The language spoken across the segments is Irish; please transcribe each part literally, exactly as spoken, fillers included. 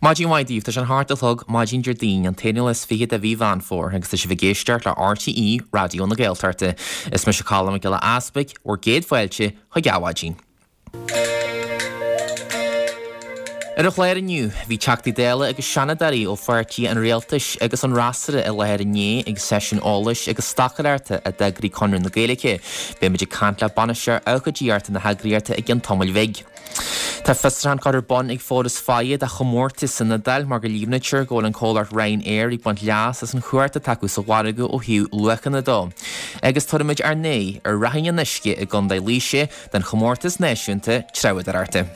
Maidin mhaith daoibh, tá sé an hocht a chlog maidin Déardaoin an t-aonú lá is fiche de mhí Mheán Fómhair agus tá sibh ag éisteacht le RTÉ Raidió na Gaeltachta. Is mise Colm Mac Giolla Easpaig, bhur gcéad fáilte chuig Adhmhaidin. Ar an chlár inniu, bhí Teachtaí Dála agus Seanadóirí ó pháirtí an Rialtais agus an fhreasúra i láthair inné ag seisiún eolais agus stocaireachta a d'eagraigh Conradh na Gaeilge. Beimid ag caint le bainisteoir ócáidíochta na heagraíochta i gcionn tamaill bhig. Tá fiosrúchán curtha ar bun ag Foras Feadha de chomórtas san Iodáil mar go líomhnaítear go bhfuil an comhlacht Ryanair ag baint leas as an chumhacht atá acu sa mhargadh ó thaobh luachanna dó. Agus tabharfaimid ár n-aghaidh ar Ráithín an Uisce i gContae Laoise don chomórtas náisiúnta treabhdóireachta.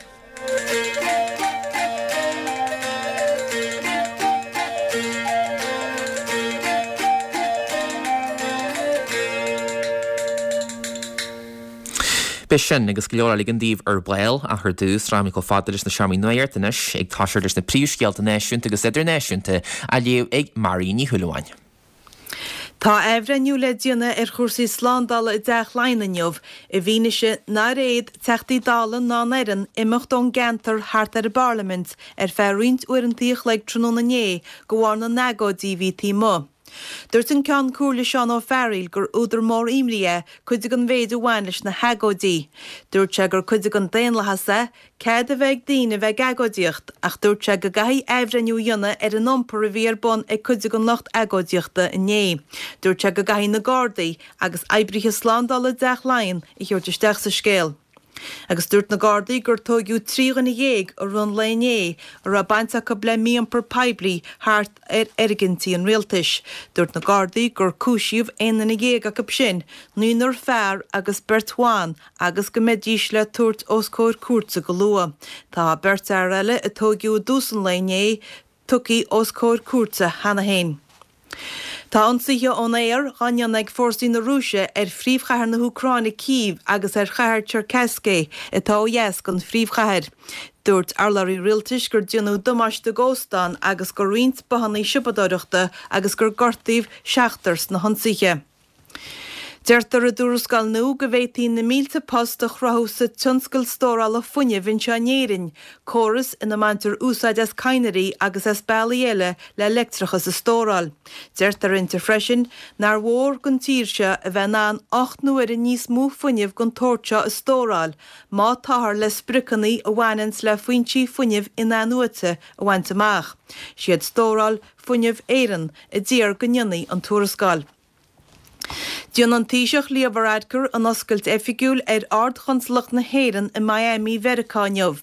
Beidh sin agus go leor eile againn daoibh ar ball ach ar dtús, rachaimid chomh fada leis na seomraí nuachta anois, ag toiseacht leis na príomhscéalta náisiúnta agus idirnáisiúnta á léamh ag Marion Ní Shúilleabháin. Tá athbhreithniú le déanamh ar chúrsaí slándála i dTeach Laighean inniu i bhfianaise nár fhéad Teachtaí Dála ná an fhoireann imeacht ón gceantar thart ar an bParlaimint ar feadh roinnt uaireanta a chloig tráthnóna inné de bharr na n-agóidí a bhí taobh amuigh. Dúirt an Ceann Comhairle Seán Ó Fearghaíl gur údar mór imní é cuid den mhéid a bhain leis na hagóidí. Dúirt sé gur cuid den daonlathas é cead a bheith ag daoine a bheith ag agóidíocht ach dúirt sé go gcaithfí athbhreithniú a dhéanamh ar an iompar a bhí ar bun ag cuid den lucht agóidíochta inné. Dúirt sé go gcaithfí na Gardaí agus oibrithe slándála i dTeach Laighean a thabhairt isteach sa scéal. Agus dúirt na Gardaí gur tóigeadh trí dhuine dhéag i rith an lae inné a raibh baint acu le mí-iompar poiblí thart ar fhoirgintí an rialtais. Dúirt na Gardaí gur cúisíodh aon duine dhéag acu sin, naonúr fear agus beirt bhan, agus go mbeidís le tabhairt os comhair cúirte go luath. Tá beirt fhear eile a tóigeadh i dtús an lae inné tugtha os comhair cúirte cheana féin. Tá ionsaithe ón aer á ndéanamh ag fórsaí na Rúise ar phríomhchathair na hÚcráine, Cív, agus ar chathair Cherkasy, atá ó dheas den phríomhchathair. Dúirt urlabhraí rialtais gur déanadh damáiste d'óstán agus do roinnt bothanna siopadóireachta agus gur gortaíodh seachtar sna hionsaithe. Deirtear i dtuarascáil nua go bhféadfaí na mílte post a chruthú sa tionscal stórála fuinnimh anseo in Éirinn, córas ina mbaintear úsáid as cadhnraí agus as bealaí eile le leictreachas a stóráil. Deirtear inti freisin nár mhór don tír seo a bheith in ann ocht n-uaire níos mó fuinnimh den tsórt seo a stóráil má táthar le spriocanna a bhaineanns le foinsí fuinnimh in-athnuaite a bhaint amach. Siad Stóráil Fuinneamh Éireann a d'iarr go ndéanfaí an tuarascáil. Déanfaidh an Taoiseach Leo Varadkar an oscailt oifigiúil ar Ard-Chonsalacht na hÉireann i Miami Mheiriceá inniu.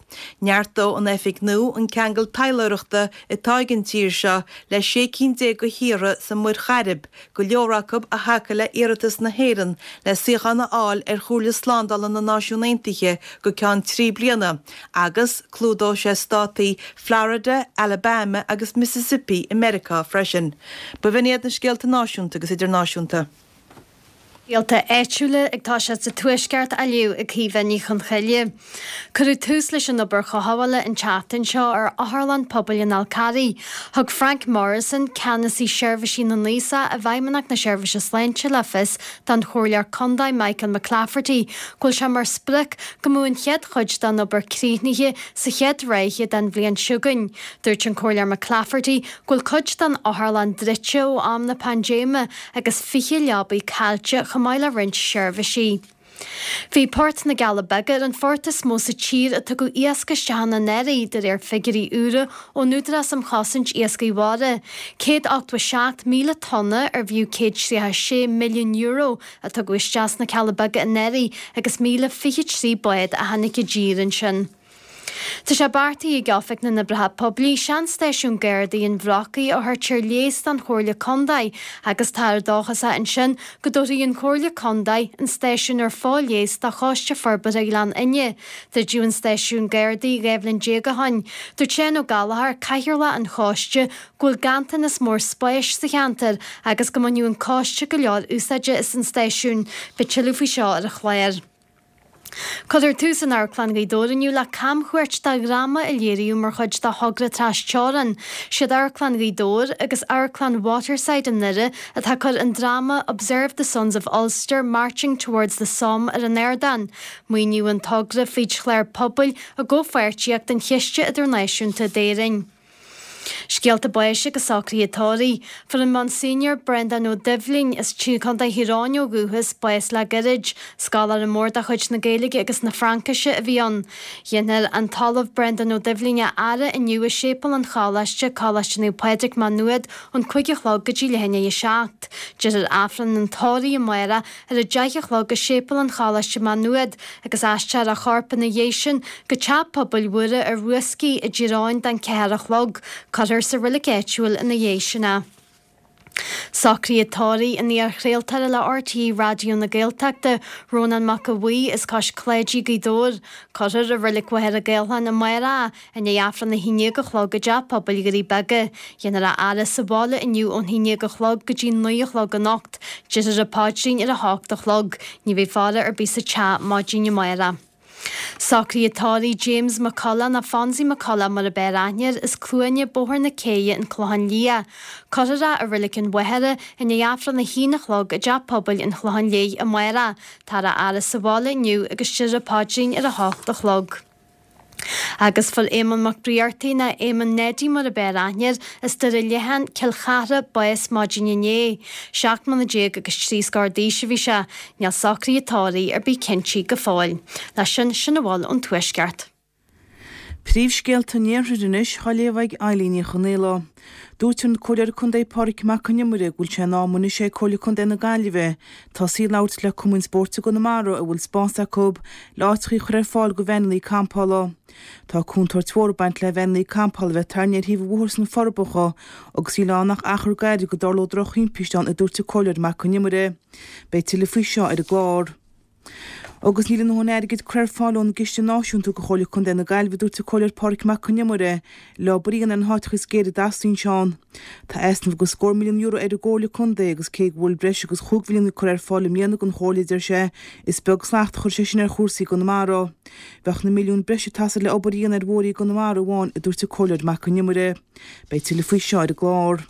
Neartóidh an oifig nua an ceangal taidhleoireachta atá ag an tír seo le sé cinn déag de thíortha sa Mhuir Chairib, go leor acu a thacaigh le hiarratas na hÉireann le suíochán a fháil ar Chomhairle Slándála na Náisiún Aontaithe go ceann trí bliana, agus clúdóidh sé státaí Florida, Alabama agus Mississippi i Meiriceá freisin. B'in iad na scéalta náisiúnta agus idirnáisiúnta. Scéalta áitiúla ag toiseacht sa Tuaisceart á léamh ag Caoimhe Ní Chonchoille. Cuireadh tús leis an obair chothabhála an tseachtain seo ar Otharlann Pobail an Fhál Carraigh. Thug Frank Morrison, Ceannasaí Seirbhísí na nAosach i bhFeidhmeannacht na Seirbhíse Sláinte le fios don Chomhairleoir Contae Michael McClafferty go bhfuil sé mar sprioc go mbeadh an chéad chuid den obair críochnaithe sa chéad ráithe den bhliain seo chugainn. Dúirt an Comhairleoir McClafferty go bhfuil cuid den otharlann druidte ó am na paindéime agus fiche leabaidh caillte chomh maith le roinnt seirbhísí. Bhí Port na gCealla Beaga ar an phort is mó sa tír a tugadh iasc isteach ann anuraidh, de réir figiúirí úra ón Údarás um Chosaint Iascaigh Mhara. céad ochtó a seacht míle tonna ar bhfiú céad tríocha a sé milliún euro a tugadh isteach sna Cealla Beaga anuraidh agus míle fiche trí bád a tháinig i dtír ansin. Tá sé beartaithe ag Oifig na nOibreacha Poiblí seanstáisiún Gardaí an Bhrocaigh a thabhairt ar léas don Chomhairle Contae agus táthar dóchasach ansin go dtabharfaidh an Chomhairle Contae an stáisiún ar fo-léas do Choiste Forbartha Ghleann Fhinne. Druideadh an stáisiún Gardaí dhá bhliain déag ó shin. Dúirt Seán Ó Gallchóir, Cathaoirleach an Choiste, go bhfuil ganntanas mór spáis sa cheantar agus go mbainfeadh an coiste go leor úsáide as an stáisiún. Beidh tuilleadh faoi seo ar an chlár. Cuirfear tús in Amharclann Ghaoth Dobhair inniu le camchuairt de dhráma a léiríodh mar chuid de thogra tras-teorann. Siad Amharclann Ghaoth Dobhair agus Amharclann Waterside i nDoire atá ag cur an dráma Observe the Sons of Ulster Marching Towards the Somme ar an ardán. Maoiníodh an togra fríd chlár pobail i gcomhpháirtíocht an Chiste Idirnáisiúnta d'Éirinn. Scéalta báis agus socruithe tórraimh. Fuair an Monsignor Breandán Ó Doibhlin as Contae Thír Eoghain ó dhúchas, bás le gairid. Scoláire mór de chuid na Gaeilge agus na Fraincise a bhí ann. Déanfar an tOllamh Breandán Ó Doibhlin a fhaire inniu i Séipéal an Choláiste, Coláiste Naomh Pádraig, Má Nuad, ón cúig a chlog go dtí leath i ndiaidh a seacht. Déarfar Aifreann an tórraimh amárach ar a deich a chlog i Séipéal an Choláiste, Má Nuad, agus aistreofar a chorp ina dhiaidh sin go Teach Pobail Mhuire ar Rúscaí i dTír Eoghain don ceathair a chlog. Cuirfear sa reilig áitiúil ina dhiaidh sin é. Socruithe tórraimh an iar-chraoltóra le RTÉ Raidió na Gaeltachta, Rónán Mac Aodha Bhuí as Cois Cláidí, Gaoth Dobhair. Cuirfear i Reilig Mhachaire Gathlán amárach é i ndiaidh Aifreann a haon déag a chlog i dTeach Pobail Dhoirí Beaga. Déanfar a fhaire sa bhaile inniu ón haon déag a chlog go dtí naoi a chlog anocht. Déarfar an paidrín ar a hocht a chlog. Ní bheidh faire ar bith sa teach maidin amárach. Socruithe tórraimh James McCullough nó Fonzie McCullough mar ab fhearr aithne air, as Cluaine, Bóthar na Céidhe, An Clochán Liath. Cuirfear é i Reilig an Mhachaire i ndiaidh Aifreann a haon a chlog i dTeach Pobail an Chlocháin Léith amárach. Táthar á fhaire sa bhaile inniu agus déarfar an paidrín ar a hocht a chlog. Agus fuair Éamonn Mac Briartaigh, nó Éamonn Neidí mar ab fhearr aithne air, as Doire Leathan, Cill Chartha, bás maidin inné. Seacht mbliana déag agus trí scór d'aois a bhí sé. Níl socruithe tórraimh ar bith cinntithe go fóill. Leis sin, sin a bhfuil ón Tuaisceart. Príomhscéalta an Iarthair anois á léamh ag Eilín Ní Chonaola. Dúirt an Comhairleoir Contae Pádraig Mac Con Iomaire go bhfuil sé in am anois ag Comhairle Contae na Gaillimhe tosaí ag labhairt le cumainn spóirt i gConamara a bhfuil spás acu le áiteacha a chur ar fáil do veaineanna campála. Tá contúirt mhór ag baint le veaineanna campála a bheith tarraingthe ar thaobh an bhóthair sna Forbacha agus níl ann ach achar gairid go dtarlódh drochthimpiste ann a dúirt an Comhairleoir Mac Con Iomaire. Beidh tuilleadh faoi seo ar an gclár. Agus níl a ndóthain airgid curtha ar fáil ón gCiste Náisiúnta do Chomhairle Contae na Gaillimhe, a dúirt an Comhairleoir Pádraig Mac Con Iomaire, le obair a dhéanamh ar na háiteacha is géire a dteastaíonn sé ann. Tá easnamh de scór milliún euro ar an gComhairle Contae agus cé go bhfuil breis agus chúig mhilliún curtha ar fáil i mbliana don Chomhairle, deir sé, is beag slacht a chuir sé sin ar chúrsaí i gConamara. Bheadh na milliúin breise ag teastáil le obair a dhéanamh ar bhóithre i gConamara amháin, a dúirt an Comhairleoir Mac Con Iomaire. Beidh tuilleadh faoi seo ar an gclár.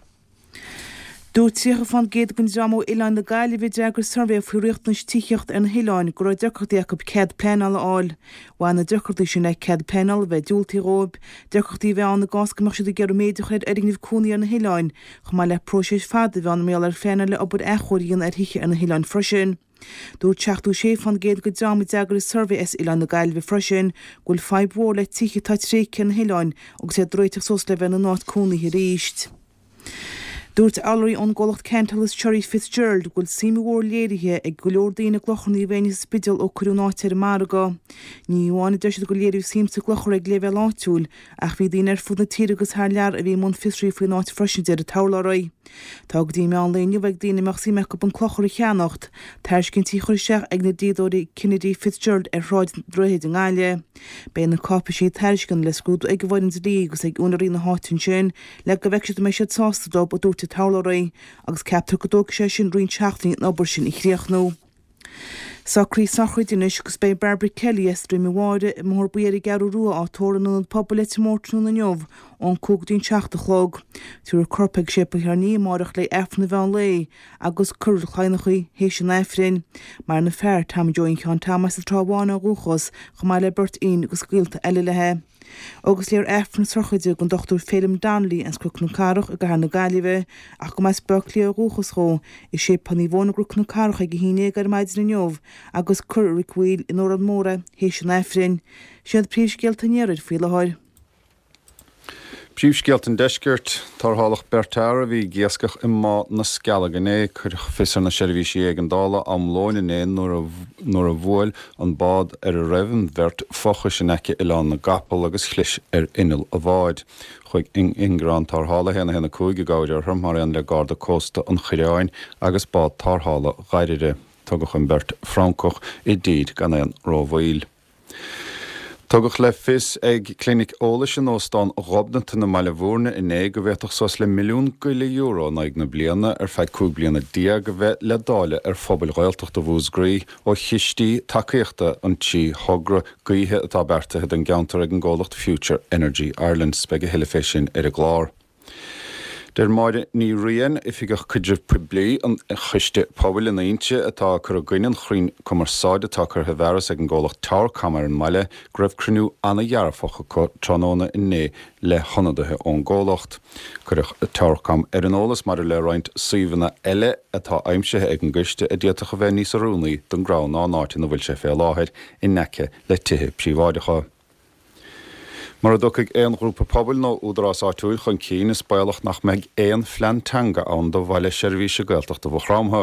Dúirt tríocha fán gcéad den dream ó Oileáin na Gaillimhe a d'fhreagair suirbhé faoi riachtanais tithíochta ar na hoileáin go raibh deacrachtaí acu cead pleanála a fháil. Bhain na deacrachtaí sin le cead pleanála a bheith diúltaithe dhóibh, deacrachtaí a bheith ann i gcás go mbeadh siad ag iarraidh méid a chur ar fhoirgnimh cónaí ar na hoileáin, chomh maith le próiseas fada a bheith ann mar gheall ar phleanáil le obair athchóirithe a dhéanamh ar thithe ar na hoileáin freisin. Dúirt seachtó sé fán gcéad den dream a d'fhreagair an suirbhé as Oileáin na Gaillimhe freisin go bhfuil fadhb mhór le tithe atá tréigthe ar na hoileáin agus iad ag réiteach suas le bheith ina n-áit cónaithe arís. Dúirt urlabhraí ón gcomhlacht Cantellus Sherry Fitzgerald go bhfuil suim mhór léirithe ag go leor daoine i gClochar Naomh Éinne sa Spidéal ó cuireadh an áit ar an margadh. Ní amháin a deir siad gur léiríodh suim sa gclochar ag leibhéal áitiúil ach bhí daoine ar fud na tíre agus thar lear a bhí i mbun fiosraithe faoin áit freisin deir an t-urlabhraí. Tá go dtí meán lae inniu ag daoine a mbeadh suim acu an clochar a cheannacht, tairiscintí a chur isteach ag na dlíodóirí Kennedy Fitzgerald ar Shráid an Droichid i nGaillimh. Beidh na cáipéisí tairisceana le scrúdú ag an bhfoireann dlí agus ag úinéirí na háite ansin le go bhfeicfidh siad an mbeidh siad sásta dóibh, a dúirt an t-urlabhraí, agus ceaptar go dtógfaidh sé sin roinnt seachtainí an obair sin a chríochnú. Socruithe sochraide anois agus beidh Barbara Kelly as Droim an Bháire i mBóthar Buí ar an gCeathrú Rua á tórramh in Ionad Pobail Leitir Móir tráthnóna inniu ón cúig go dtí an seacht a chlog. Tabharfar a corp ag Séipéal Charn amárach le Aifreann an mheán lae agus cuirfear i Leitir Móir í théis an Aifrinn. Maireann a fear, Tommy Joe Sheáin Tom as an Trá Bháin ó dhúchas, chomh maith le beirt iníon agus gaolta eile léi. Agus léifear Aifreann na sochraide don Dochtúir Féilim Donnelly as Cnoc na Cathrach i gCathair na Gaillimhe, ach go mba as Baile Átha Cliath ó dhúchas dhó, i Séipéal Naomh Eoin i gCnoc na Cathrach ag a haon déag ar maidin inniu agus cuirfear i Reilig an Mhaoil in Órán Mór é théis an Aifrinn. Siad príomhscéalta an iarthair faoi láthair. Príomhscéalta an deiscirt tarrtháladh beirt fhear a bhí ag iascach i mBá na Scealg inné cuireadh fios ar na seirbhísí éigeandála am lóin inné nuair a bhuail an bád ar a raibh an bheirt fochais in aice Oileán na gCapall agus chlis ar inneall an bháid. Chuaigh ingearán tarrthála haon a haon a cúig i gcabhair orthu mar aon le Garda Cósta an Choireáin agus bád tarrthála Dhoire. Tugadh an bheirt Francach i dtír gan aon rómhoill. Tugadh le fios ag clinic eolais in Óstán Ghobnatan i mBaile Bhúirne inné go bhféadfadh suas le milliún go leith euro in aghaidh na bliana ar feadh cúig bliana déag a bheith le dáileadh ar phobail Ghaeltachta Mhúscraí ó chistí tacaíochta an trí thogra gaoithe atá beartaithe don gceantar ag an gcomhlacht Future Energy Ireland. Beidh a thuilleadh fé sin ar an gclár. Deir Máire Ní Riain, Oifigeach Caidrimh Poiblí an Choiste Pobail in Inse atá ag cur i gcoinne an chrainn cumarsáide atá curtha i bhfearas ag an gcomhlacht Towercom ar an mbaile, go raibh cruinniú an-dhearfach acu tráthnóna inné le hionadaithe ón gcomhlacht. Cuireadh Towercom ar an eolas maidir le roinnt suíomhanna eile atá aimsithe ag an gcoiste a d'fhéadfadh a bheith níos oiriúnaí don gcrann ná an áit ina bhfuil sé fé láthair in aice le tithe príobháideacha. Mura dtiocfaidh aon ghrúpa pobail nó údarás áitiúil chun cinn, is baolach nach mbeidh aon phlean teanga ann do Bhaile Seirbhíse Gaeltachta Mhaigh Chromtha.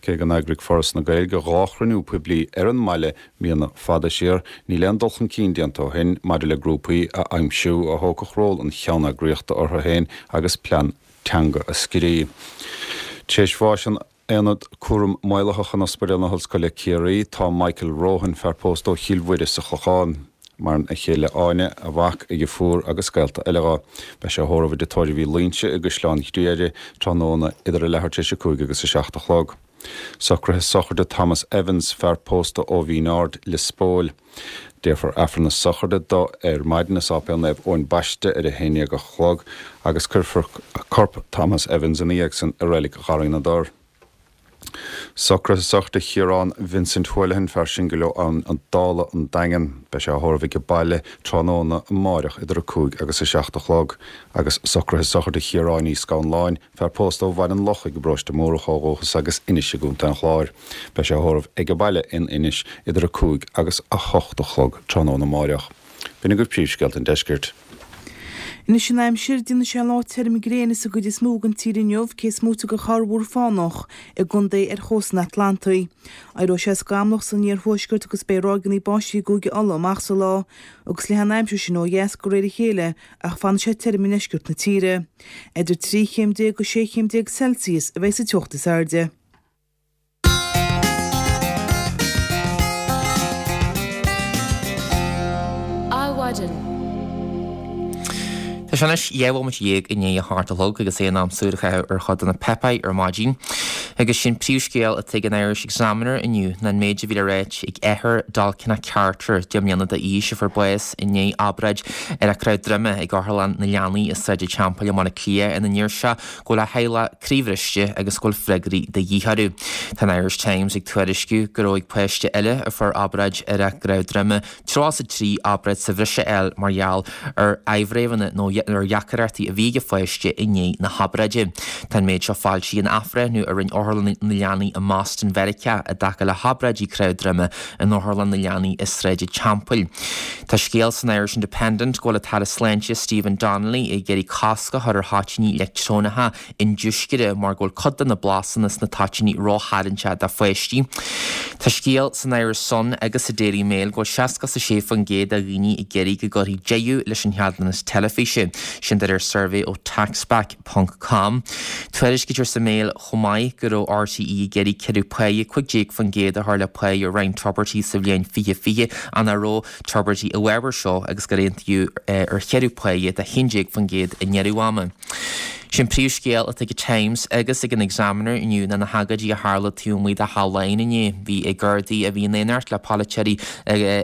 Cé go n-eagraigh Foras na Gaeilge dhá chruinniú poiblí ar an mbaile míonna fada siar, níl aon dul chun cinn déanta ó shin maidir le grúpaí a aimsiú a thógfadh ról an cheanneagraíochta orthu féin agus plean teanga a scríobh. Tar éis bháis in Aonad Cúram Maolaitheach in Ospidéal na hOllscoile Ciarraí tá Michael Rohan, fear pósta ó Chill Mhuire sa Chlochán. Maireann a chéile Áine, a mhac, a dheirfiúr agus gaolta eile dho. Beidh sé á thórramh i dTigh Tórraimh Uí Loingsigh i gCaisleán Ghriaire tráthnóna idir a leathuair tar éis a cúig agus a seacht a chlog. Socruithe sochraide Thomas Evans, fear pósta ó Mhín Aird, Lios Póil. Déarfar Aifreann na sochraide do ar maidin i Sáipéal Naomh Eoin Baiste ar a haon déag a chlog agus cuirfear corp Thomas Evans ina dhiaidh san i Reilig Gharraí na dTor. Socruithe sochraide Chiarán Vincent Houlihan, fear singil ó Abhainn an Dála, an Daingean. Beidh sé á thórramh age baile tráthnóna amáireach idir a cúig agus a seacht a chlog. Agus socruithe sochraide Chiaráin Uí Scanláin, fear pósta ó Bhaile an Lochaigh i bparóiste Mórdhach ó dhúchas agus Inis i gContae an Chláir. Beidh sé á thórramh age baile in Inis idir a cúig agus a hocht a chlog tráthnóna amáireach. B'in agaibh príomhscéalta an deiscirt. Anois an aimsir, déanfaidh sé lá tirim gréine sa gcuid is mó den tír inniu, cé is móite de chorrmhúr fánach i gcontae ar chósta an Atlantaigh. Éireoidh sé scamallach san iarthuaisceart agus beidh ráigeanna báistí i gCúige Uladh amach sa lá, agus leathfaidh an aimsir sin ó dheas de réir a chéile ach fanfaidh sé tirim i ndeisceart na tíre. Idir trí chéim déag go sé chéim déag Celsius a bheidh sa teocht is airde. Adhmhaidin. Tá sé anois dhá bhomaite dhéag i ndiaidh a hocht a chlog agus é in am súil a chaitheamh ar chuid de na páipéir ar maidin. Agus sé'n príomhscéal atá ag an Irish Examiner inniu ná an méid a bhí le ráit ag athair Dalkena Carter, deich mbliana d'aois a fuair bás i ndiaidh obráid ar a cnámh droime ag Otharlann na Leanaí i Sráid an Teampaill i mBaile Átha Cliath ina ndeir sé go bhfuil a theaghlach croíbhriste agus go bhfuil freagraí de dhíth orthu. Tá an Irish Times ag tuairisciú go raibh ag páiste eile a fuair obráid ar a gcnámh droime tríocha is a trí obráid sa bhreis a fháil mar gheall ar fhadhbanna nó ar dheacaireachtaí a bhí ag an pháiste i ndiaidh na hobráide. Tá an méid seo foilsithe in athbhreithniú a rinne Otharlann na Leanaí i mBoston Mheiriceá i dtaca le hobráidí cnámh droime in Otharlann na Leanaí i Sráid an Teampaill. Tá scéal san Irish Independent go bhfuil an tAire Sláinte Stephen Donnelly ag iarraidh cosc a chur ar thoitíní leictreonacha indiúscartha mar go bhfuil cuid de na blasanna sna toitíní rótharraingteach do pháistí. Tá scéal san Irish Sun agus sa Daily Mail go bhfuil seasca is a sé faoin gcéad de dhaoine ag iarraidh go gcuirfí deireadh leis an cheadúnas teilifíse, sin de réir suirbhé ó Taxback ponc com. Tuairiscítear sa Mail chomh maith go raibh RTÉ ag iarraidh ciorrú páighe cúig déag faoin gcéad a chur le páighe roinnt Tubridy sa bhliain fiche fiche ach nach raibh Tubridy i bhfabhar seo agus gur aontaíodh ar chiorrú páighe de haon déag faoin gcéad i ndeireadh ama. Sé'n príomhscéal atá ag an Times agus ag an Examiner inniu ná na hagóidí a tharla taobh amuigh de Theach Laighean inné. Bhí Gardaí a bhí in éineacht le polaiteoirí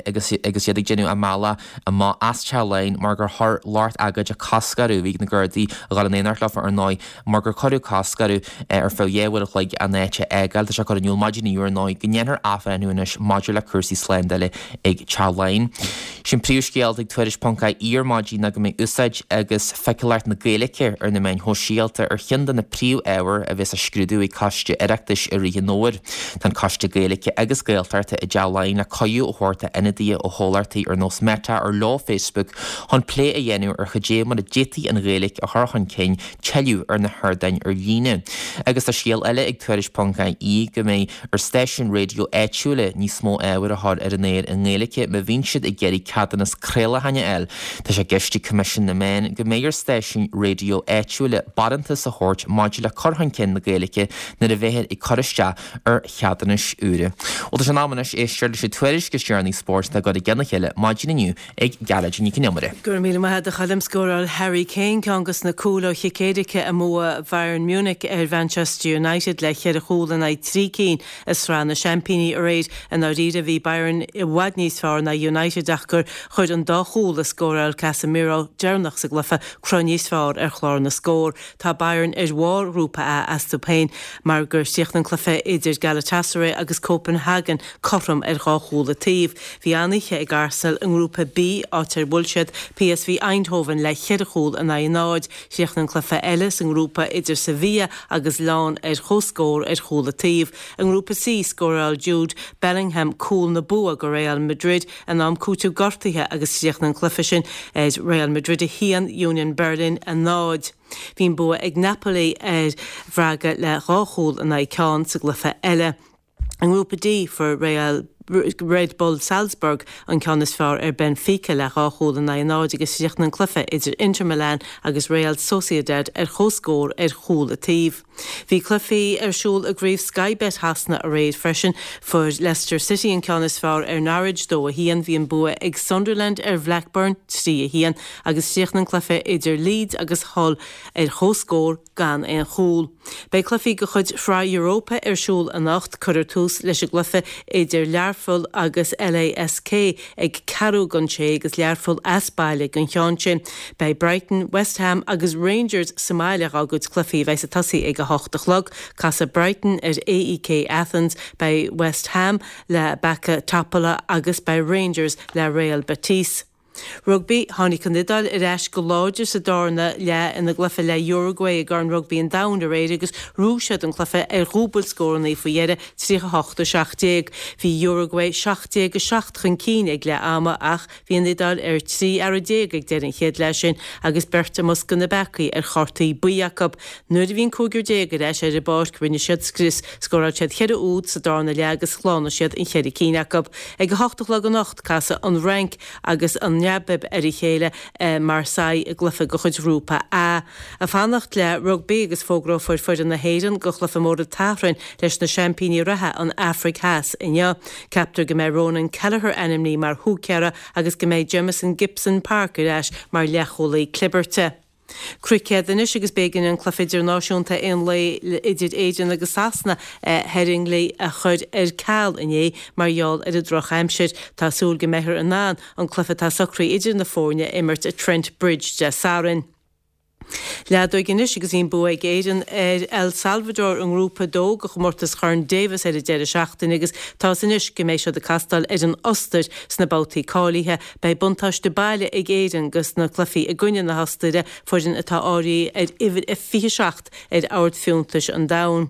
agus agus iad ag déanamh a mbealach amach as Teach Laighean mar gur chuir lucht agóide cosc orthu. Bhí na Gardaí a dhul in éineacht leofa ar ndóigh mar gur cuireadh cosc orthu ar feadh dhá uair a chloig an áit a fhágáil. Tá sé curtha in iúl maidin inniu ar ndóigh go ndéanfar athbhreithniú anois maidir le cúrsaí slándála ag Teach Laighean. Sé'n príomhscéal atá ag Tuairisc ponc ie ar maidin ná go mbeidh úsáid agus feiceálacht na Gaeilge ar na meáin shóisialta ar cheann de na príomhábhair a bheas á scrúdú ag Coiste Oireachtais i rith an fhómhair. Tá an Coiste Gaeilge agus Gaeltachta i dTeach Laighean le cuireadh a thabhairt d'ionadaithe ó chomhlachtaí ar nós Meta ar leo Facebook chun plé a dhéanamh ar cad é mar a d'fhéadfaí an Ghaeilge a chur chun cinn tuilleadh ar na hardáin ar líne. Agus tá scéal eile ag Tuairisc ponc ie go mbeidh ar stáisiúin raidió áitiúla níos mó ábhair a chur ar an aer i nGaeilge má bhíonn siad ag iarraidh ceadúnas craolacháin a fháil. Tá sé i gceist ag Coimisiún na Meán go mbeidh ar stáisiúin raidió áitiúla barántas a thabhairt maidir le cur chun cinn na Gaeilge nuair a bheifear ag cur isteach ar cheadúnais úra. Bhuel tá sé in am anois éisteacht leis an tuairisc is deireanaí spóirt atá curtha i gcionn a chéile maidin inniu ag Gearóidín Nic an Iomaire. Go raibh míle maith agat a Choilm. Scóráil Harry Kane ceann de na cúil ó chic éirice i mbua Bhayern Munich ar Mhanchester United le ceithre chúl in aghaidh trí cinn i Sraith na Seaimpíní aréir. I ndáiríre bhí Bayern i bhfad níos fearr ná United ach gur chuir an dá chúl a scóráil Casemiro deireanach sa gcluiche cruth níos fearr ar chlár na scór. Tá Bayern ar bharr Ghrúpa A astu féin mar gur chríochnaigh an cluiche idir Galatasaray agus Copenhagen cothrom ar dhá chúl an taobh. Bhí an-oíche ag Arsenal i nGrúpa B, áit ar bhuail siad PSV Eindhoven le ceithre chúl in aghaidh a náid. Chríochnaigh an cluiche eile sa ngrúpa idir Sevilla agus Lyon ar comhscór ar chúl an taobh. I nGrúpa C, scóráil Jude Bellingham cúl na bua go Real Madrid in am cúiteamh gortaithe agus chríochnaigh an cluiche sin ar Real Madrid a haon, Union Berlin a náid. Bhí an bua ag Napoli ar Bhraga le dhá chúl in aghaidh ceann sa gcluiche eile. I nGrúpa D, fuair Real Red Bull Salzburg an ceann is fearr ar Benfica le dhá chúl in aghaidh a náid agus chríochnaigh an cluiche idir Inter Milan agus Real Sociedad ar comhscór ar chúl an taobh. Bhí cluichí ar siúl i gCraobh Sky Bet Shasana aréir freisin. Fuair Leicester City an ceann is fearr ar Norwich dó a haon, bhí an bua ag Sunderland ar Bhlackburn trí a haon agus chríochnaigh an cluiche idir Leeds agus Hull ar comhscór gan aon chúl. Beidh cluichí de chuid Shraith Europa ar siúl anocht. Cuirfear tús leis an gcluiche idir Learpholl agus LASK ag ceathrú don sé agus Learpholl as baile don cheann sin. Beidh Brighton, West Ham agus Rangers sa mbaile dá gcuid cluichí a bheas ag tosaí ag a hocht a chlog. Casfaidh Brighton ar AEK Athens, beidh West Ham le Backa Topola agus beidh Rangers le Real Betis. Rugbaí, Tháinig an Iodáil ar ais go láidir sa darna leath ina gcluiche le Uruguay i gCorn Rugbaí an Domhain aréir agus ghnóthaigh siad an cluiche ar dhúbailt scóranna faoi dheireadh, tríocha a hocht a seacht déag. Bhí Uruguay seacht déag a seacht chun cinn ag leath ama ach bhí an Iodáil ar trí fhear déag ag deireadh an chéad leath sin agus beirt i mbosca na bpeacaí ar chártaí buí acu. Nuair a bhí an cúigear déag ar ais ar an bpáirc rinne siad scrios, scóráil siad ceithre úd sa darna leath agus shlánaigh siad an cheithre cinn acu. Ag a hocht a chlog anocht casfaidh an Fhrainc agus an Namaib ar a chéile i Marseille i gcluiche de chuid Ghrúpa A. Ag fanacht le rugbaí agus fógrófar foireann na hÉireann do chluiche mór an tSathairn leis na seaimpíní reatha, an Afraic Theas, inniu. Ceaptar go mbeidh Ronan Kelleher ainmnithe mar húicéara agus go mbeidh Jamison Gibson-Park ar ais mar leathchúlaí clibirte. Cruicéad anois agus b'éigean an cluiche idirnáisiúnta aon lae idir Éirinn agus Sasana i Headingley a chur ar ceal inné mar gheall ar an drochaimsir. Tá súil go mbeifear in ann an cluiche atá socraithe idir na foirne a imirt i Trent Bridge Dé Sathairn. Leadóg anois agus bhí an bua ag Éirinn ar El Salvador i nGrúpa a dó de chomórtas Chorn Davis ar an deireadh seachtaine agus tá a fhios anois go mbeidh siad ag castáil ar an Ostair sna babhtaí cáilithe. Beidh buntáiste baile ag Éirinn dos na cluichí i gcoinne na hOstaire, foireann atá áirithe ar uimhir a fiche seacht ar ord fiúntais an domhain.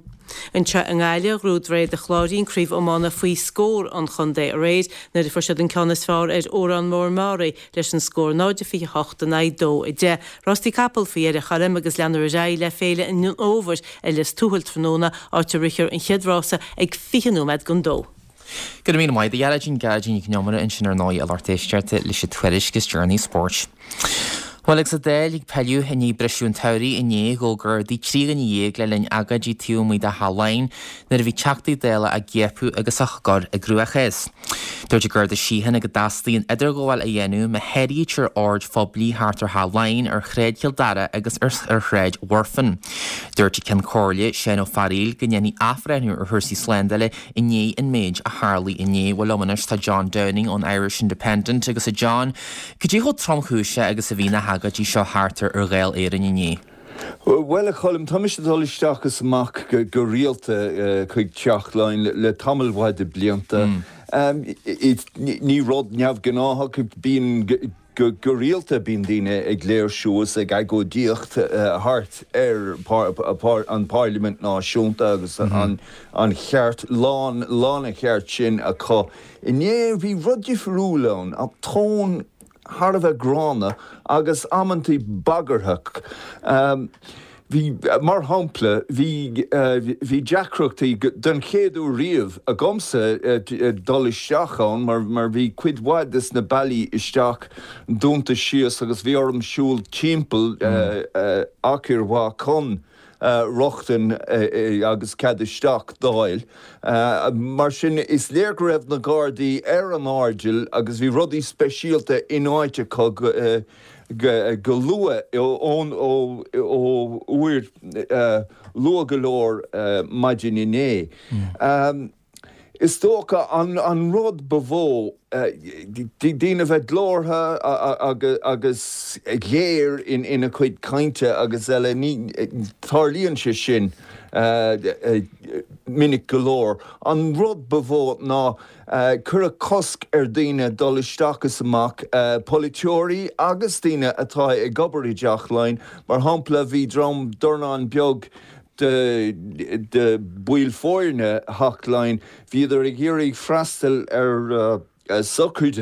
Anseo i nGaillimh, ghnóthaigh Droichead an Chláirín craobh iomána faoi scór an chontae aréir nuair a fuair siad an ceann is fearr ar Órán Mór Meáraí leis an scór náid a fiche a hocht in aghaidh dó a deich. Rástaí capall faoi dheireadh a Choilm agus leanfar ar aghaidh le Féile an Fhómhair ar Lios Tuathail tráthnóna, áit a rithfear an chéad rása ag fiche nóiméad don dó. Go raibh míle maith agat a Ghearóidín, Gearóidín Nic Con Iomaire ansin ar ndóigh a lucht éisteachta leis an tuairisc is deireanaí spóirt. Bhuel agus an Dáil ag pilleadh i ndiaidh briseadh an tsamhraidh inné, ghabh Gardaí trí dhuine dhéag le linn agóidí taobh amuigh de Theach Laighean nuair a bhí Teachtaí Dála á gciapadh agus á gcur i gcruachás. Dúirt an Garda Síochána go dteastaíonn idirghabháil a dhéanamh má sháraítear oird phoiblí thart ar Theach Laighean, ar Shráid Chill Dara agus ar Shráid Mhuirfean. Dúirt an Ceann Comhairle, Seán Ó Fearghaíl, go ndéanfaí athbhreithniú ar chúrsaí slándála i ndiaidh an méid a tharlaigh inné. Bhuel liom anois tá John Downing ón Irish Independent agus a John, cad é chomh tromchúiseach agus a bhí na hagóidí seo thart ar Dháil Éireann inné? Bhuel, a Choilm, tá mise ag dul isteach is amach go rialta chuig Teach Laighean le tamall mhaith de blianta. Ní rud neamhghnáthach, bíonn go rialta bíonn daoine ag léirsiú is ag agóidíocht thart ar an bParlaimint Náisiúnta agus an cheart, lán lán an cheart sin acu. Inné bhí rud difriúil ann, tón thar a bheith gránna agus amantaí bagarthach. Bhí, mar shampla, bhí, bhí deacrachtaí den chéad uair riamh agamsa dul isteach ann mar, mar bhí cuid mhaith des na bealaí isteach dúnta síos agus bhí orm siúl timpeall achar mhaith chun rochtain agus cead isteach d'fháil. Mar sin, is léir go raibh na Gardaí ar an airdeall agus bhí rudaí speisialta in áit acu go luath, ón ó uair luath go leor maidin inné. Is dócha an rud ba mhó daoine a bheith glórtha agus géar ina cuid cainte agus eile, ní tarlaíonn sé sin minic go leor. An rud ba mhó ná cuireadh cosc ar daoine dul isteach is amach, polaiteoirí agus daoine atá ag obair i dTeach Laighean. Mar shampla, bhí dream dornán beag de de bhaill foirne Theach Laighean, bhíodar ag iarraidh freastal ar sochraid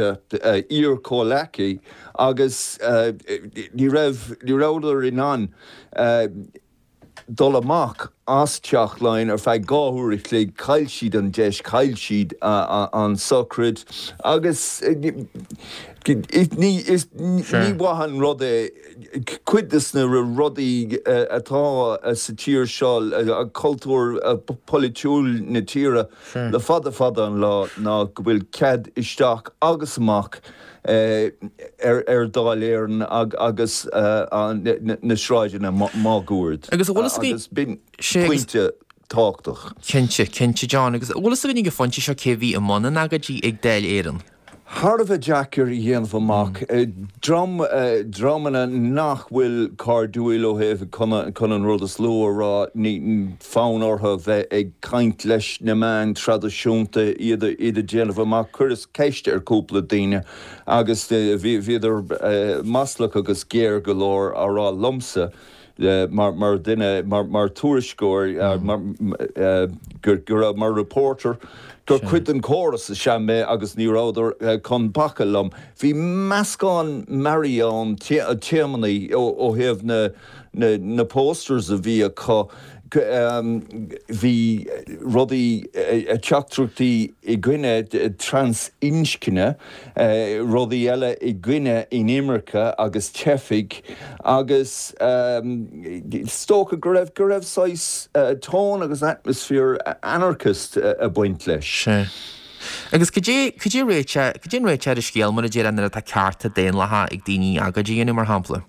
iar-chomhleacaí agus ní raibh ní rabhadar in ann dul amach as Teach Laighean ar feadh dhá uair a chloig, chaill siad an deis, chaill siad an sochraid agus ní maith an rud é cuid de na rudaí atá sa tír seo, cultúr polaitiúil na tíre le fada fada an lá ná go bhfuil cead isteach agus amach ar Dáil Éireann agus na sráideanna máguaird. Agus an bhfuil a fhios Agus b'in pointe tábhachtach. Cinnte, cinnte John. Agus an bhfuil a fhios againn ag an phointe seo cé bhí i mbun na n-agóidí ag Dáil Éireann? Thar a bheith deacair a dhéanamh amach. Dream, dreamanna nach bhfuil cairdiúil ó thaobh chun an rud is lú a rá, ní fonn orthu bheith ag caint leis na meáin traidisiúnta, iad iad a déanamh amach. Chuireas ceist ar cúpla daoine agus bhíodar maslach agus géar go leor á rá liomsa mar mar duine, mar mar tuairisceoir, mar go raibh mar reporter, gur cuid den chóras is ea mé agus ní rabhadar chun bacadh liom. Bhí meascán mearaí ann, téamanna ó thaobh na na posters a bhí acu. Bhí rudaí, teachtaireachtaí i gcoinne trasinscne, rudaí eile i gcoinne inimirce agus teifigh agus is dócha go raibh, go raibh saghas tone agus atmosphere anarchist ag baint leis. Sea. Agus cad é, cad é réiteach, cad é an réiteach ar an scéal mar a déarfá nuair atá cearta daonlathacha ag daoine agóid a dhéanamh mar shampla?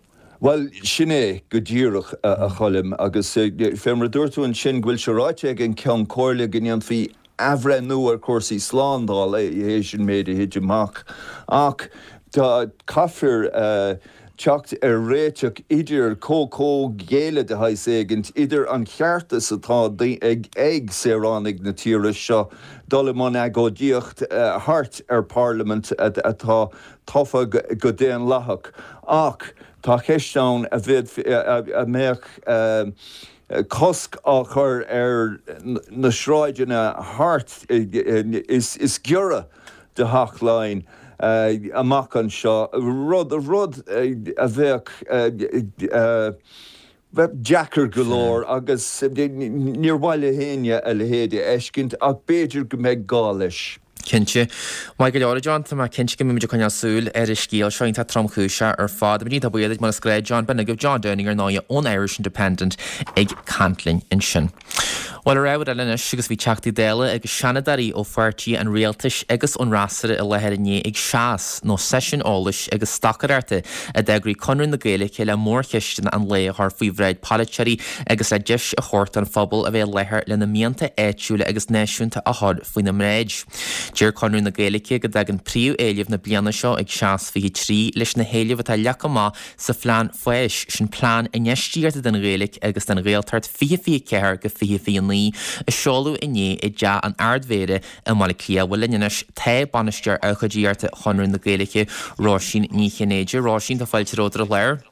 Bhuel, sin é go díreach, a Choilm, agus fé mar a dúirt tú ansin go bhfuil sé ráite ag an Ceann Comhairle go ndéanfaí athbhreithniú ar chúrsaí slándála théis an méid a thit amach, ach tá, caithfear teacht ar réiteach idir comhghéilleadh de shaghas éigint idir an cheartas atá ag saoránaigh na tíre seo dul i mbun agóidíocht thart ar Parlaimint atá tofa go daonlathach ach tá ceist ann a a mbeadh cosc á chur ar na sráideanna thart is giorra do Theach Laighean amach anseo, rud rud a bheadh bheadh deacair go leor agus níor mhaith le héinne a leithéid a fheiscint ach b'fhéidir go mbeidh gá leis. Cinnte. Maith go leor, a John. Tá mé cinnte go mbeidh muid ag coinneáil súil ar an scéal seo iontach tromchúiseach ar fad. Muid iontach buíoch duit mar is gnách, John. B'in agaibh John Downing ar ndóigh ón Irish Independent ag caint linn ansin. Bhuel, ar ábhar eile anois, agus bhí Teachtaí Dála agus Seanadóirí ó pháirtí an Rialtais agus ón fhreasúra i láthair inné ag SEAS, nó Seisiún Eolais agus Stocaireachta, a d'eagraigh Conradh na Gaeilge le mórcheisteanna an lae a chur faoi bhráid polaiteoirí agus le deis a thabhairt don phobal a bheith i láthair lena mianta áitiúla agus náisiúnta a chur faoina mbráid. Deir Conradh na Gaeilge go dtagann príomhéilimh na bliana seo ag SEAS fiche trí leis na héilimh atá leagtha amach sa Phlean Fáis, sin plean infheistíochta don Ghaeilge agus don Ghaeltacht fiche fiche ceathair go fiche fiche naoi, a seoladh inné i dTeach an Ard-Mhéara i mBaile Átha Cliath. Bhuel linn anois tá Bainisteoir Ócáidíochta Chonradh na Gaeilge, Róisín Ní Chinnéide. Róisín, tá fáilte romhat ar an chlár.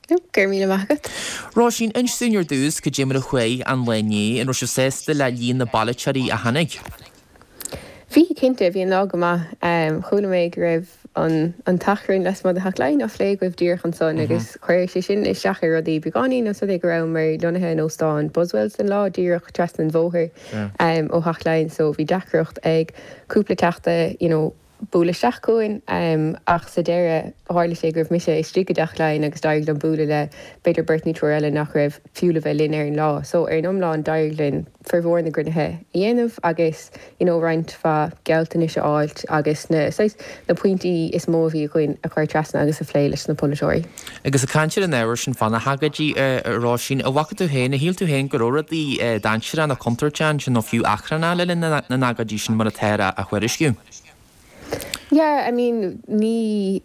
Go raibh míle maith agat. Róisín, inis dúinn ar dtús cad é mar a chuaigh an lá inné, an raibh sibh sásta le líon na bpolaiteoirí a tháinig? Bhí, cinnte, bhí an lá go maith. Chuala mé go raibh an an t-achrann lasmuigh de Theach Laighean á phlé agaibh díreach ansan agus chuir sé sin isteach ar rudaí beagáinín os rud é go rabhamar lonnaithe in Óstán Buswells don lá, díreach trasna an bhóthair ó Theach Laighean so bhí deacracht ag cúpla teachta you know bualadh isteach chugainn ach sa deireadh tharla sé go raibh mise istigh i dTeach Laighean agus d'éirigh liom bualadh le b'fhéidir beirt nó triúr eile nach raibh fiú le bheith linn ar an lá. So ar an iomlán d'éirigh linn formhór na gcruinnithe a dhéanamh agus you know roinnt mhaith gealltanais a fháilt agus na saghas na pointí is mó a bhí againn a chur trasna agus a phlé leis na polaiteoirí. Agus ag caint ar an ábhar sin fá na hagóidí a Róisín, an bhfaca tú féin, ar shíl tú féin go raibh rudaí dainséarach nó contúirteach ansin nó fiú achrannach le linn na n-agóidí sin mar atáthar á thuairisciú? Yeah, I mean ní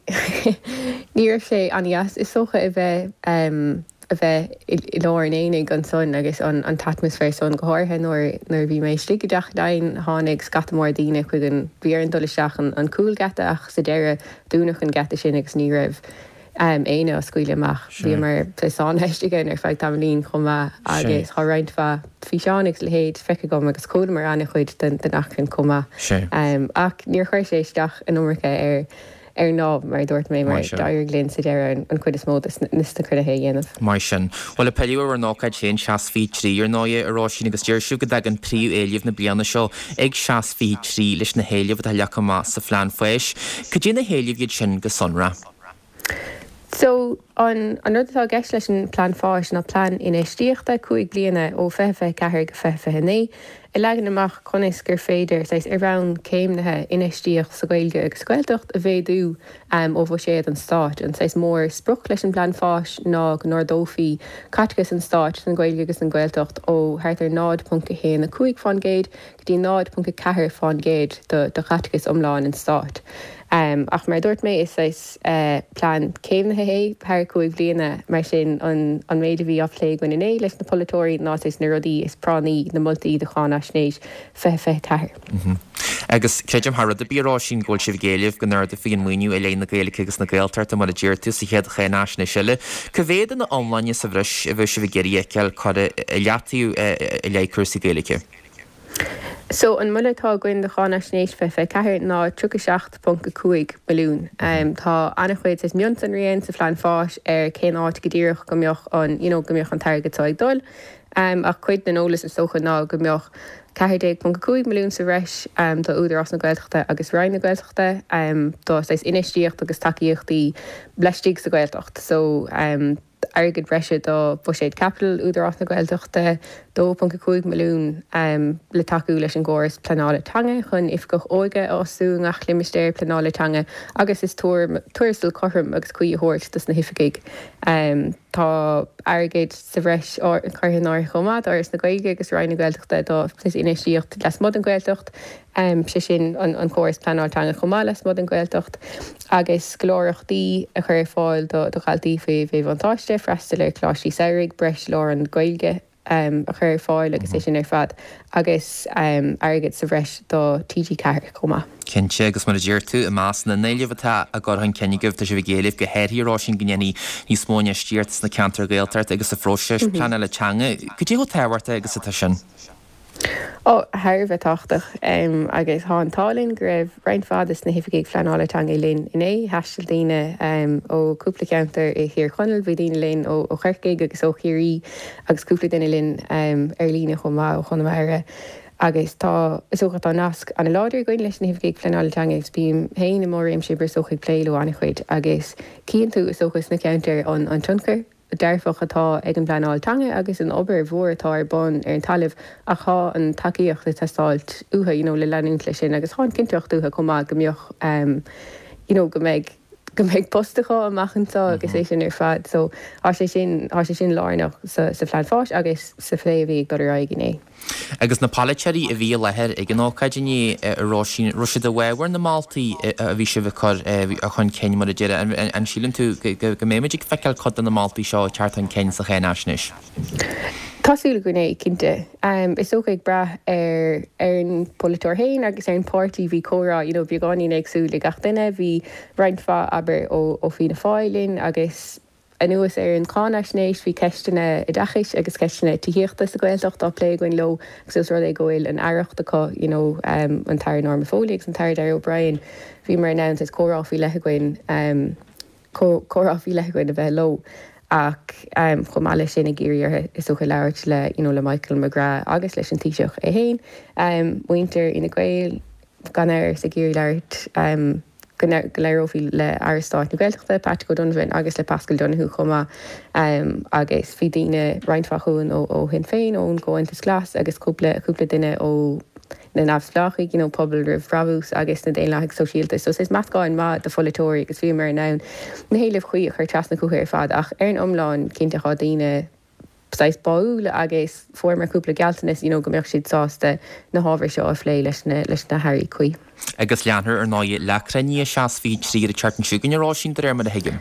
ní raibh sé an-deas is dócha a bheith um, a bheith i lár an aonaigh ansan agus an an t-atmaisféar san go háirithe nuair nuair bhí mé istigh i dTeach Laighean tháinig scata mór daoine chuig an bhí orainn dul isteach an an cúlgheata ach sa deireadh dúnadh an geata sin agus ní raibh um, éinne á scaoileadh amach. Bhíomar sáinnithe istigh ann ar feadh tamaillín chomh maith agus tá roinnt mhaith físeán agus leithéid feicthe agam agus chualamar an-chuid den den achrann chomh maith. Um, ach níor chuir sé isteach an iomarca ar ar an lá mar a dúirt mé mar d'éirigh linn sa deireadh an chuid is mó de na cruinnithe a dhéanamh. Mar sin, bhuel ag pilleadh ar bhur n-ócáid féin Seas fiche trí ar ndóigh, a Róisín agus deir sibh go dtagann príomhéilimh na bliana seo ag Seas fiche trí leis na héilimh atá leagtha amach sa phlean fáis. Cad é na héilimh iad sin go sonrath? So, an an rud atá i gceist leis an Plean Fáis ná plean infheistíochta cúig bliana ó fiche fiche ceathair go fiche fiche naoi, a leagann amach conas gur féidir, saghas, ar bhonn céimnithe, infheistíocht sa Ghaeilge agus sa Ghaeltacht a mhéadú ó bhuiséad an Stáit. An saghas mór sprioc leis an bPlean Fáis ná go n-ardófaí caiteachas an Stáit don Ghaeilge agus don Ghaeltacht ó thart ar náid ponc a haon a cúig fán gcéad go dtí náid ponc a ceathair fán gcéad de chaiteachas iomlán an Stáit. Ach mar a dúirt mé, is saghas plean céimnithe é thar cúig bliana, mar sin an méid a bhí á phlé againn inné leis na polaiteoirí ná saghas na rudaí is práinní, na moltaí do Cháinaisnéis fiche fiche ceathair. Agus creidim thar rud ar bith, a Róisín, go bhfuil sibh ag éileamh go n-ardófaí an maoiniú i leith na Gaeilge agus na Gaeltachta mar a deir tú sa chéad cháinaisnéis eile. Cá mhéad ina iomláine sa bhreis a bheadh sibh ag iarraidh a fheiceáil curtha i leataobh i leith cúrsaí Gaeilge? So, an moladh atá againn do Cháinaisnéis fiche fiche ceathair ná tríocha seacht ponc a cúig milliún. Tá an-chuid saghas mionsonraí ann sa phlean fáis ar cén áit go díreach go mbeadh an, you know, go mbeadh an t-airgead seo ag dul. Ach cuid den eolas is dócha ná go mbeadh ceathair déag ponc a cúig milliún sa bhreis do Údarás na Gaeltachta agus Roinn na Gaeltachta do saghas infheistíocht agus tacaíochtaí laistigh sa Ghaeltacht. So, airgead breise do bhuiséad caipitil Údarás na Gaeltachta, dó ponc a cúig milliún le tacú leis an gcóras pleanála teanga chun oifigeach óige a fhostú i ngach limistéar pleanála teanga agus is tuarastal cothrom agus cuí a thabhairt dos na hoifigigh. Tá airgead sa bhreis curtha in áirithe chomh maith d'Fhoras na Gaeilge agus Roinn na Gaeltachta do infheistíocht lasmuigh den Ghaeltacht. sé sin an córas pleanáil teanga chomh maith lasmuigh den Ghaeltacht, agus scoláireachtaí a chur ar fáil do dhaltaí faoi mhíbhuntáiste, freastal ar choláistí samhraidh, breis lárionad Gaeilge a chur ar fáil agus é sin ar fad, agus airgead sa bhreis do T G ceathair chomh maith. Cinnte, agus mar a deir tú, i measc na n-éileamh atá á gcur chun cinn agaibh, tá sibh ag éileamh go háirithe, a Róisín, go ndéanfaí níos mó infheistíochta sna ceantair Ghaeltachta agus sa phróiseas pleanála teanga. Cad é chomh tábhachtach agus atá sin? Ó, thar a bheith tábhachtach. Agus tá an t-ádh linn go raibh roinnt mhaith de na hoifigigh phleanála teanga linn inné. Thaistil daoine ó cúpla ceantar i Thír Chonaill, bhí daoine linn ó Chorcaigh agus ó Chiarraí agus cúpla duine linn ar líne chomh maith ó Chonamara. Agus tá, is dócha, tá nasc an-láidir againn leis na hoifigigh phleanála teanga agus bím féin i mo réimse oibre is dócha ag plé leo an-chuid agus cíonn tú is dócha sna ceantair an tionchar dearfach atá ag an bpleanáil teanga agus an obair mhór atá ar bun ar an talamh ach tá an tacaíocht ag teastáilt uathu you know le leanúint leis sin agus tá an chinnteacht uathu chomh maith go mbeadh um you know go mbeidh go mbeidh post acu amach anseo agus é sin ar fad so tá sé sin tá sé sin lárnach sa sa phlean fáis agus sa phlé a bhí ag dul ar aghaidh inné. Agus na polaiteoirí a bhí i láthair ag an ócáid inné, a Róisín, raibh siad i bhfabhar na moltaí a bhí sibh ag cur chun cinn, mar a déarfá? An síleann tú go mbeimid ag feiceáil cuid de na moltaí seo ag teacht chun cinn sa cháinaisnéis? Tá súil againn é, cinnte. Is dócha ag brath ar ar an bpolaiteoir féin agus ar an bpáirtí. Bhí comhrá, you know, beagáinín éagsúil ag gach duine. Bhí roinnt mhaith, abair, ó Fianna Fáil linn agus, Anuas ar an cháinaisnéis, bhí ceisteanna oideachais agus ceisteanna tithíochta sa Ghaeltacht á plé againn leo agus ós rud é go bhfuil an aireacht acu, you know, an tAire Norma Foley agus an tAire Darragh O'Brien, bhíomar in ann saghas comhrá faoi leith againn, comhrá faoi leith againn a bheith leo. Ach chomh maith leis sin ag iarraidh orthu is dócha labhairt le, you know, le Michael McGrath agus leis an Taoiseach é féin, muintir Fhine Gael, gan amhras, ag iarraidh labhairt, go labhrófaí le Aire Stáit na Gaeltachta, Patrick O'Donovan agus le Paschal Donohoe chomh maith agus bhí daoine, roinnt mhaith chugainn ó Shinn Féin, ón gComhaontas Glas agus cúpla, cúpla duine ó na neamhspleáchaigh, you know, Pobal Roimh Bhrabús agus na Daonlathaigh Sóisialta. So is meascán maith de pholaiteoirí agus bhíomar in ann na héilimh chuí a chur trasna chucu ar fad ach ar an iomlán cinnte tá daoine, saghas báúil agus fuaireamar cúpla gealltanas you know go mbeadh siad sásta na hábhair seo a phlé leis na leis na hairí cuí. Agus leanfar ar ndóigh le cruinniú a seacht fiche trí an tseachtain seo chugainn a Róisín de réir mar a thuigim.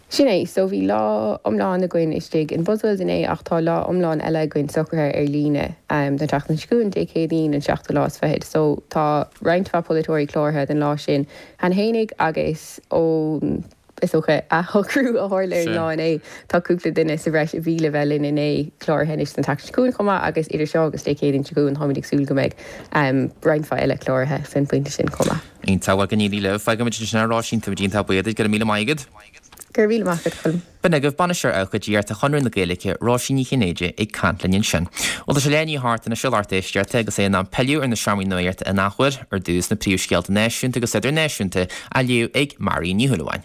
Sin é, so bhí lá iomlán againn istigh in Buswells inné ach tá lá iomlán eile againn socraithe ar líne um, don tseachtain seo chugainn Dé Céadaoin an seachtú lá is fichead. So tá roinnt mhaith polaiteoirí cláraithe don lá sin cheana fhéinig agus ón is dócha athshocrú a tharla ar an lá inné tá cúpla duine sa bhreis a bhí le bheith linn inné cláraithe anois don tseachtain seo chugainn chomh maith agus idir seo agus Dé Céadaoin seo chugainn táimid ag súil go mbeidh um, roinnt mhaith eile cláraithe san phointe sin chomh maith. Iontach bhuel go n-éirí libh fágfaimid ansin é a Róisín táimid iontach buíoch duit go raibh míle maith agat. Go raibh míle maith agat Colm. B'in agaibh Bainisteoir Abhcóideachta Chonradh na Gaeilge, Róisín Ní Chinnéide ag caint linn ansin. Bhuel tá sé leath i ndiaidh a hocht anois a lucht éisteachta agus é in am pilleadh ar na seomraí nuachta in athuair ar dtús na príomhscéalta náisiúnta agus idirnáisiúnta á léamh ag Marion Ní Shúilleabháin.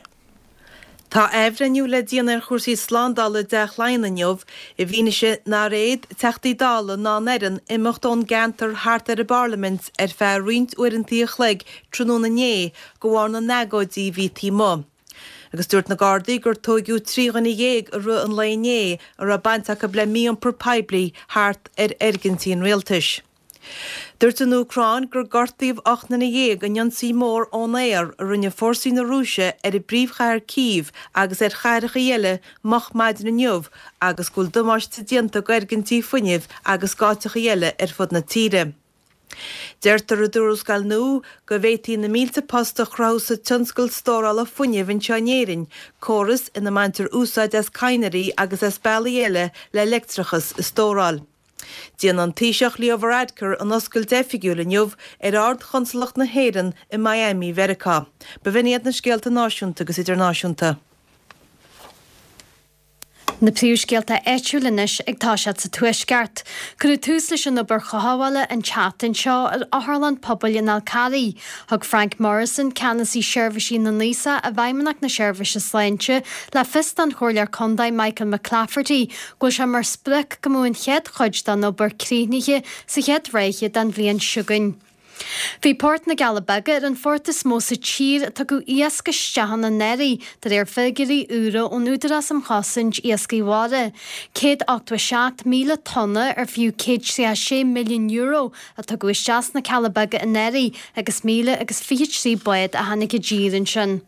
Tá athbhreithniú le déanamh ar chúrsaí slándála i dTeach Laighean inniu i bhfianaise nár fhéad Teachtaí Dála ná an fhoireann imeacht ón gceantar thart ar an bParlaimint ar feadh roinnt uaireanta a chloig tráthnóna inné de bharr na n-agóidí a bhí taobh amuigh. Agus dúirt na Gardaí gur tóigeadh trí dhuine dhéag i rith an lae inné a raibh baint acu le mí-iompar poiblí thart ar fhoirgintí an rialtais. Dúirt an Úcráin gur gortaíodh ocht nduine dhéag in ionsaí mór ón aer a rinne fórsaí na Rúise ar an bpríomhchathair Cív agus ar chathracha eile moch maidin inniu agus go bhfuil damáiste déanta d'fhoirgintí fuinnimh agus d'áiteacha eile ar fud na tíre. Deirtear i dtuarascáil nua go bhféadfaí na mílte post a chruthú sa tionscal stórála fuinnimh anseo in Éirinn, córas ina mbaintear úsáid as cadhnraí agus as bealaí eile le leictreachas a stóráil. Déanfaidh an Taoiseach Leo Varadkar an oscailt oifigiúil inniu ar Ard-Chonsalacht na hÉireann i Miami, Mheiriceá. B'in iad na scéalta náisiúnta agus idirnáisiúnta. Na príomhscéalta áitiúla anois ag toiseacht sa Tuaisceart. Cuireadh tús leis an obair chothabhála an tseachtain seo ar Otharlann Pobail an Fhál Carraigh. Thug Frank Morrison, ceannasaí seirbhísí na n-aosach i bhFeidhmeannacht na Seirbhíse Sláinte, le fios don Chomhairleoir Contae Michael McClafferty go bhfuil sé mar sprioc go mbeadh an chéad chuid den obair críochnaithe sa chéad ráithe den bhliain seo chugainn. Bhí Port na gCealla Beaga ar an phort is mó sa tír a tugadh iasc isteach ann anuraidh, de réir figiúirí úra ón Údarás um Chosaint Iascaigh Mhara. Céad ochtó a seacht míle tonna ar fiú céad tríocha sé milliún euro a tugadh isteach sna Cealla Beaga anuraidh agus míle agus fiche trí bád a tháinig i dtír ansin.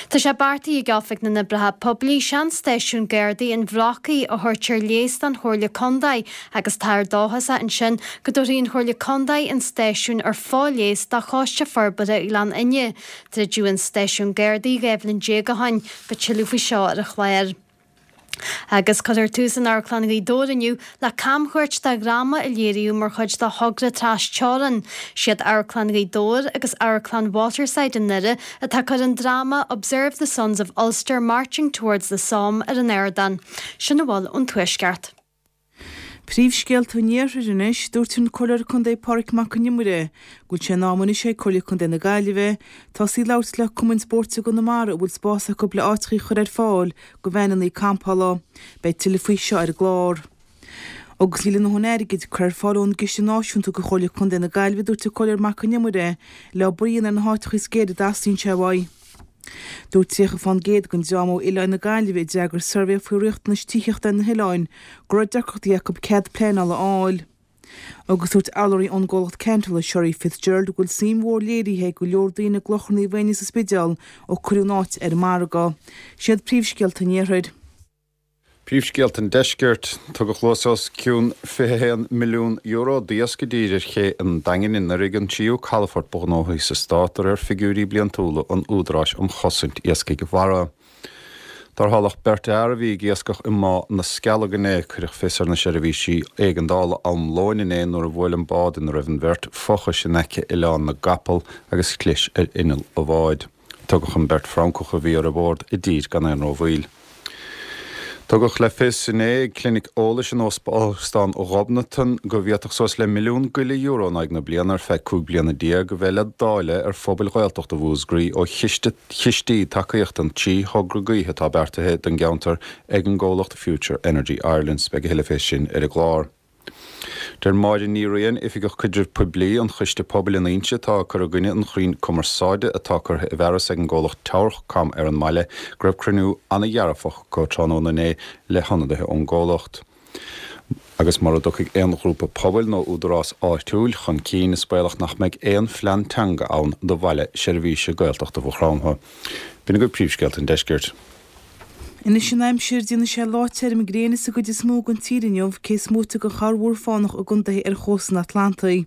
Tá sé beartaithe ag Oifig na nOibreacha Poiblí seanstáisiún Gardaí an Bhrocaigh a thabhairt ar léas don Chomhairle Contae agus táthar dóchasach ansin go dtabharfaidh an Chomhairle Contae an stáisiún ar fo-léas do Choiste Forbartha Ghleann Fhinne. Druideadh an stáisiún Gardaí dhá bhliain déag ó shin. Beidh tuilleadh faoi seo ar an chlár. Agus cuirfear tús in Amharclann Ghaoth Dobhair inniu le camchuairt de dhráma a léiríodh mar chuid de thogra trasteorann. Siad Amharclann Ghaoth Dobhair agus Amharclann Waterside i nDoire atá ag cur an dráma Observe the Sons of Ulster Marching Towards the Somme ar an ardán. Sin a bhfuil ón Tuaisceart. Príomhscéalta an Iarthair anois, dúirt an Comhairleoir Contae Pádraig Mac Con Iomaire go bhfuil sé in am anois ag Comhairle Contae na Gaillimhe tosaí ag labhairt le Cumann Spóirt i gConamara a bhfuil spás acu le áiteacha a chur ar fáil do veaineanna campála. Beidh tuilleadh faoi seo ar an gclár. Agus níl a ndóthain airgid curtha ar fáil ón gCiste Náisiúnta do Chomhairle Contae na Gaillimhe, dúirt an Comhairleoir Mac Con Iomaire, le obair a dhéanamh ar na háiteacha is géire a dteastaíonn sé uaidh. Dúirt tríocha fán gcéad den dream ó Oileáin na Gaillimhe a d'fhreagair suirbhé faoi riachtanais tithíochta ar na hoileáin go raibh deacrachtaí acu cead pleanála a fháil. Agus dúirt urlabhraí ón gcomhlacht ceantála Sherry Fitzgerald go bhfuil suim mhór léirithe ag go leor daoine i gClochar Naomh Éinne sa Spidéal ó cuireadh an áit ar an margadh. Siad príomhscéalta an Iarthair. Príomhscéalta an Deiscirt, Tugadh luas os cionn fiche a haon milliún euro d'iasc i dtír ar ché an Daingin anuraidh, an tríú calafort ba ghnóthaí sa stát de réir figiúirí bliantúla an Údaráis um Chosaint Iascaigh Mhara. Tarrtháladh beirt fhear a bhí ag iascach i mBá na Scealg inné. Cuireadh fios ar na seirbhísí éigeandála am lóin inné nuair a bhuail an bád ina raibh an bheirt fochais in aice Oileán na gCapall agus chlis ar inneall an bháid. Tugadh an bheirt Fhrancach a bhí ar bord i dtír gan aon rómhoill. Tugadh le fios inné ag clinic eolais in Óstán Ghobnatan go bhféadfadh suas le milliún go leith euro in aghaidh na bliana ar feadh cúig bliana déag a bheith le dáileadh ar phobail Ghaeltachta Mhúscraí ó chistí tacaíochta an trí thogra gaoithe atá beartaithe don gceantar ag an gcomhlacht Future Energy Ireland. Beidh a thuilleadh fé sin ar an gclár. Deir Máire Ní Riain, Oifigeach Caidrimh Poiblí an Choiste Pobail in Inse atá ag cur i gcoinne an chrainn cumarsáide atá curtha i bhfearas ag an gcomhlacht Towercom ar an mbaile, go raibh cruinniú an-dhearfach acu tráthnóna inné le hionadaithe ón gcomhlacht. Agus mura dtiocfaidh aon ghrúpa pobail nó údarás áitiúil chun cinn, is baolach nach mbeidh aon phlean teanga ann do bhaile seirbhíse Gaeltachta Mhaigh Chromtha. B'in agaibh príomhscéalta an deiscirt. Anois an aimsir, déanfaidh sé lá tirim gréine sa gcuid is mó den tír inniu, cé is móite de chorrmhúr fánach i gcontaetha ar chósta an Atlantaigh.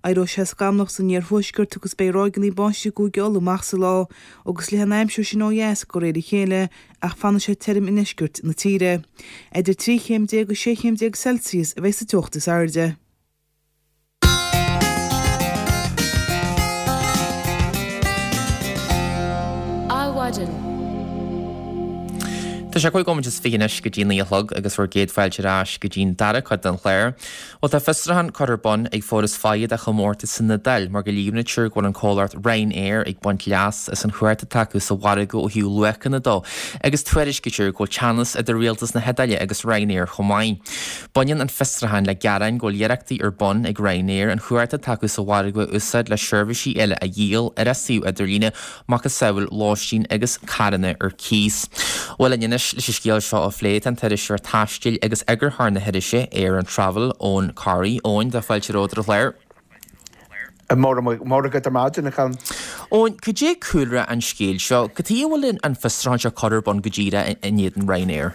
Éireoidh sé scamallach san iarthuaisceart agus beidh ráigeanna báistí i gCúige Uladh amach sa lá, agus leathfaidh an aimsir sin ó dheas de réir a chéile ach fanfaidh sé tirim i ndeisceart na tíre. Idir trí chéim déag agus sé chéim déag Celsius a bheidh sa teocht is airde. Adhmhaidin. Tá sé cúig nóiméad is fiche anois go dtí naoi a chlog agus bhur gcéad fáilte ar ais go dtí'n dara cuid den chlár. Bhuel tá fiosrúchán curtha ar bun ag Foras Feighe do chomórtas san Iodáil mar go líomhnaítear go bhfuil an comhlacht Ryanair ag baint leas as an chumhacht atá acu sa mhargadh ó thaobh luachanna dó agus tuairiscítear go bhfuil teannas idir rialtas na hIodáile agus Ryanair chomh maith. Baineann an fiosrúchán le gearáin go bhfuil iarrachtaí ar bun ag Ryanair an chumhacht atá acu sa mhargadh a úsáid le seirbhísí eile a dhíol ar a suíomh idirlíne macasamhail lóistín agus carranna ar cíos. Bhuel linn anois leis an scéal seo a phlé tá an t-iriseoir taistil agus eagarthóir na hirise Air and Travel, Eoin Corry. Eoin, tá fáilte romhat ar an chlár. Móra agat ar maidin, a Cholm. Eoin, cad é cúlra an scéil seo? Cad chuige a bhfuil an fiosrúchán seo curtha ar bun go díreach in éadan Ryanair?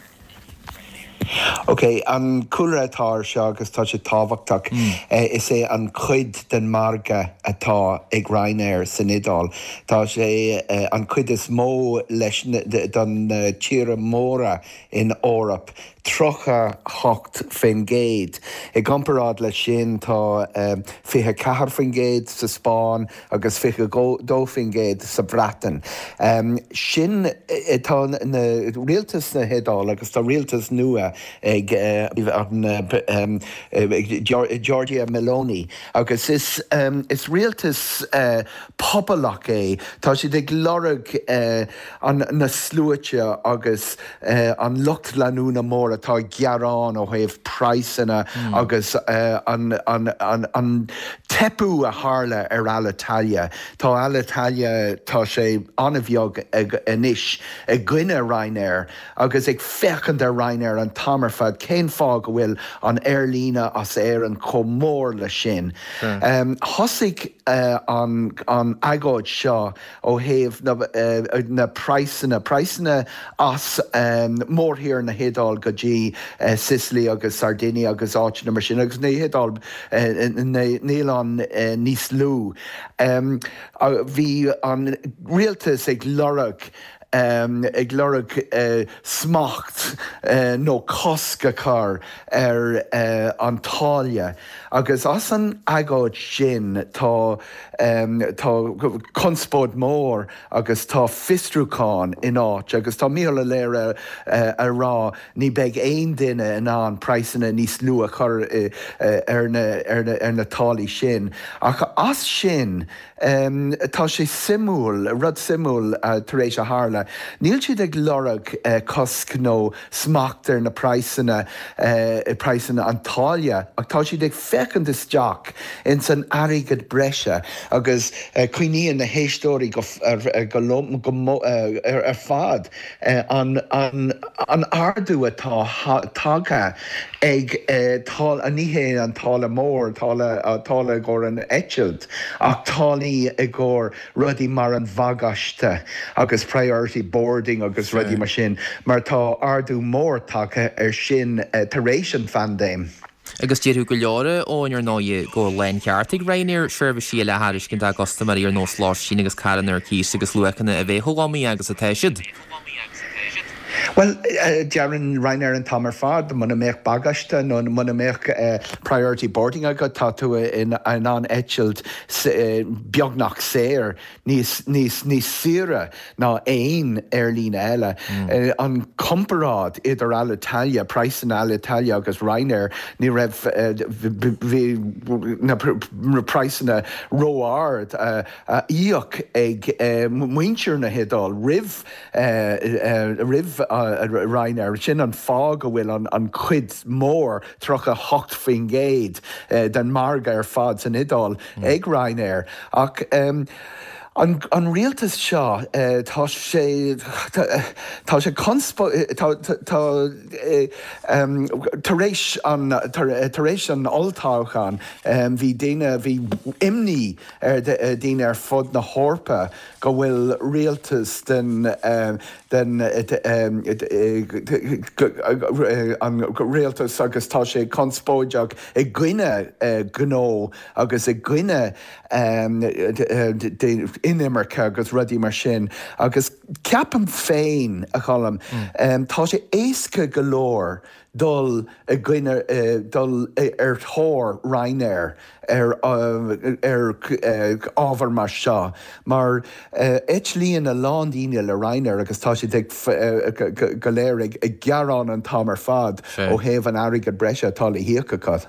Ok, an cúlra atá ar seo agus tá sé tábhachtach, is é an chuid den margadh atá ag Ryanair san Iodáil. Tá sé an chuid is mó leis don na tíortha móra in Eoraip, tríocha hocht faoin gcéad. I gcomparáid leis sin tá fiche ceathair faoin gcéad sa Spáinn agus fiche dó faoin gcéad sa Bhreatain. Sin tá na rialtas na hIodáile agus tá rialtas nua ag an Giorgia Meloni agus is is rialtas pobalach é. Tá siad ag lorg an na sluaite agus an lucht leanúna mór atá ag gearán ó thaobh praghsanna agus an an an an teipeadh a tharla ar Alitalia. Tá Alitalia tá sé an-bheag anois i gcoinne Ryanair agus ag féachaint ar Ryanair an t-am ar fad cén fáth go bhfuil an aerlíne as Éirinn chomh mór le sin. Thosaigh an an agóid seo ó thaobh na na praghsanna, praghsanna as mórthír na hIodáil go dtí Sicily agus Sardinia agus áiteanna mar sin agus na hIodáil na n-oileán níos lú. Bhí an rialtas ag lorg ag lorg smacht nó cosc a chur ar an táille agus as an agóid sin tá tá conspóid mór agus tá fiosrúchán in áit agus tá Micheál Ó Laoire a rá ní beidh aon duine in ann praghsanna níos lú a chur ar na ar na táillí sin ach as sin tá sé suimiúil, rud suimiúil tar éis a tharla. Níl siad ag lorg cosc nó smacht ar na praghsanna, praghsanna an táille ach tá siad ag féachaint isteach ins an airgead breise agus cuimhníonn na héisteoirí go go ar fad an an an ardú atá tagtha ag táille, ní hé an táille mór, táille táille i gcomhair an eitilt ach táillí i gcomhair rudaí mar an bhagáiste agus priority boarding agus rudaí mar sin, mar tá ardú mór tagtha ar sin tar éis an phaindéim. Agus déarfadh go leor, Eoin, ar ndóigh, go bhfuil láncheart ag Ryanair seirbhísí eile a thairiscint dá gcustaiméirí ar nós lóistín agus carranna ar cíos agus luachanna a bheith chomh iomaí agus atá siad. Bhuel, deireann Ryanair an t-am ar fad, muna mbeadh bagáiste nó muna mbeadh priority boarding agat, tá tú in ann eitilt beagnach saor, níos, níos, níos saoire ná aon aerlíne eile. An comparáid idir Alitalia, praghsanna Alitalia agus Ryanair, ní raibh, bhí na praghsanna ró-ard a íoc ag muintir na hIodáile roimh roimh Ryanair. Sin an fáth go bhfuil an chuid mór, tríocha hocht faoin gcéad, den margadh ar fad san Iodáil ag Ryanair. Ach An an rialtas seo tá sé tá sé tá tar éis an tar éis an olltoghchán bhí daoine bhí imní ar daoine ar fud na hEorpa go bhfuil rialtas den den an rialtas agus tá sé conspóideach i gcoinne gnó agus i gcoinne inimirce agus rudaí mar sin agus ceapaim féin a Cholm tá sé éasca go leor dul i gcoinne dul ar thóir Ryanair ar ar ábhar mar seo mar eitlíonn a lán daoine le Ryanair agus tá siad ag go léir ag gearán an t-am ar fad ó thaobh an airgead breise atá le híoc acu.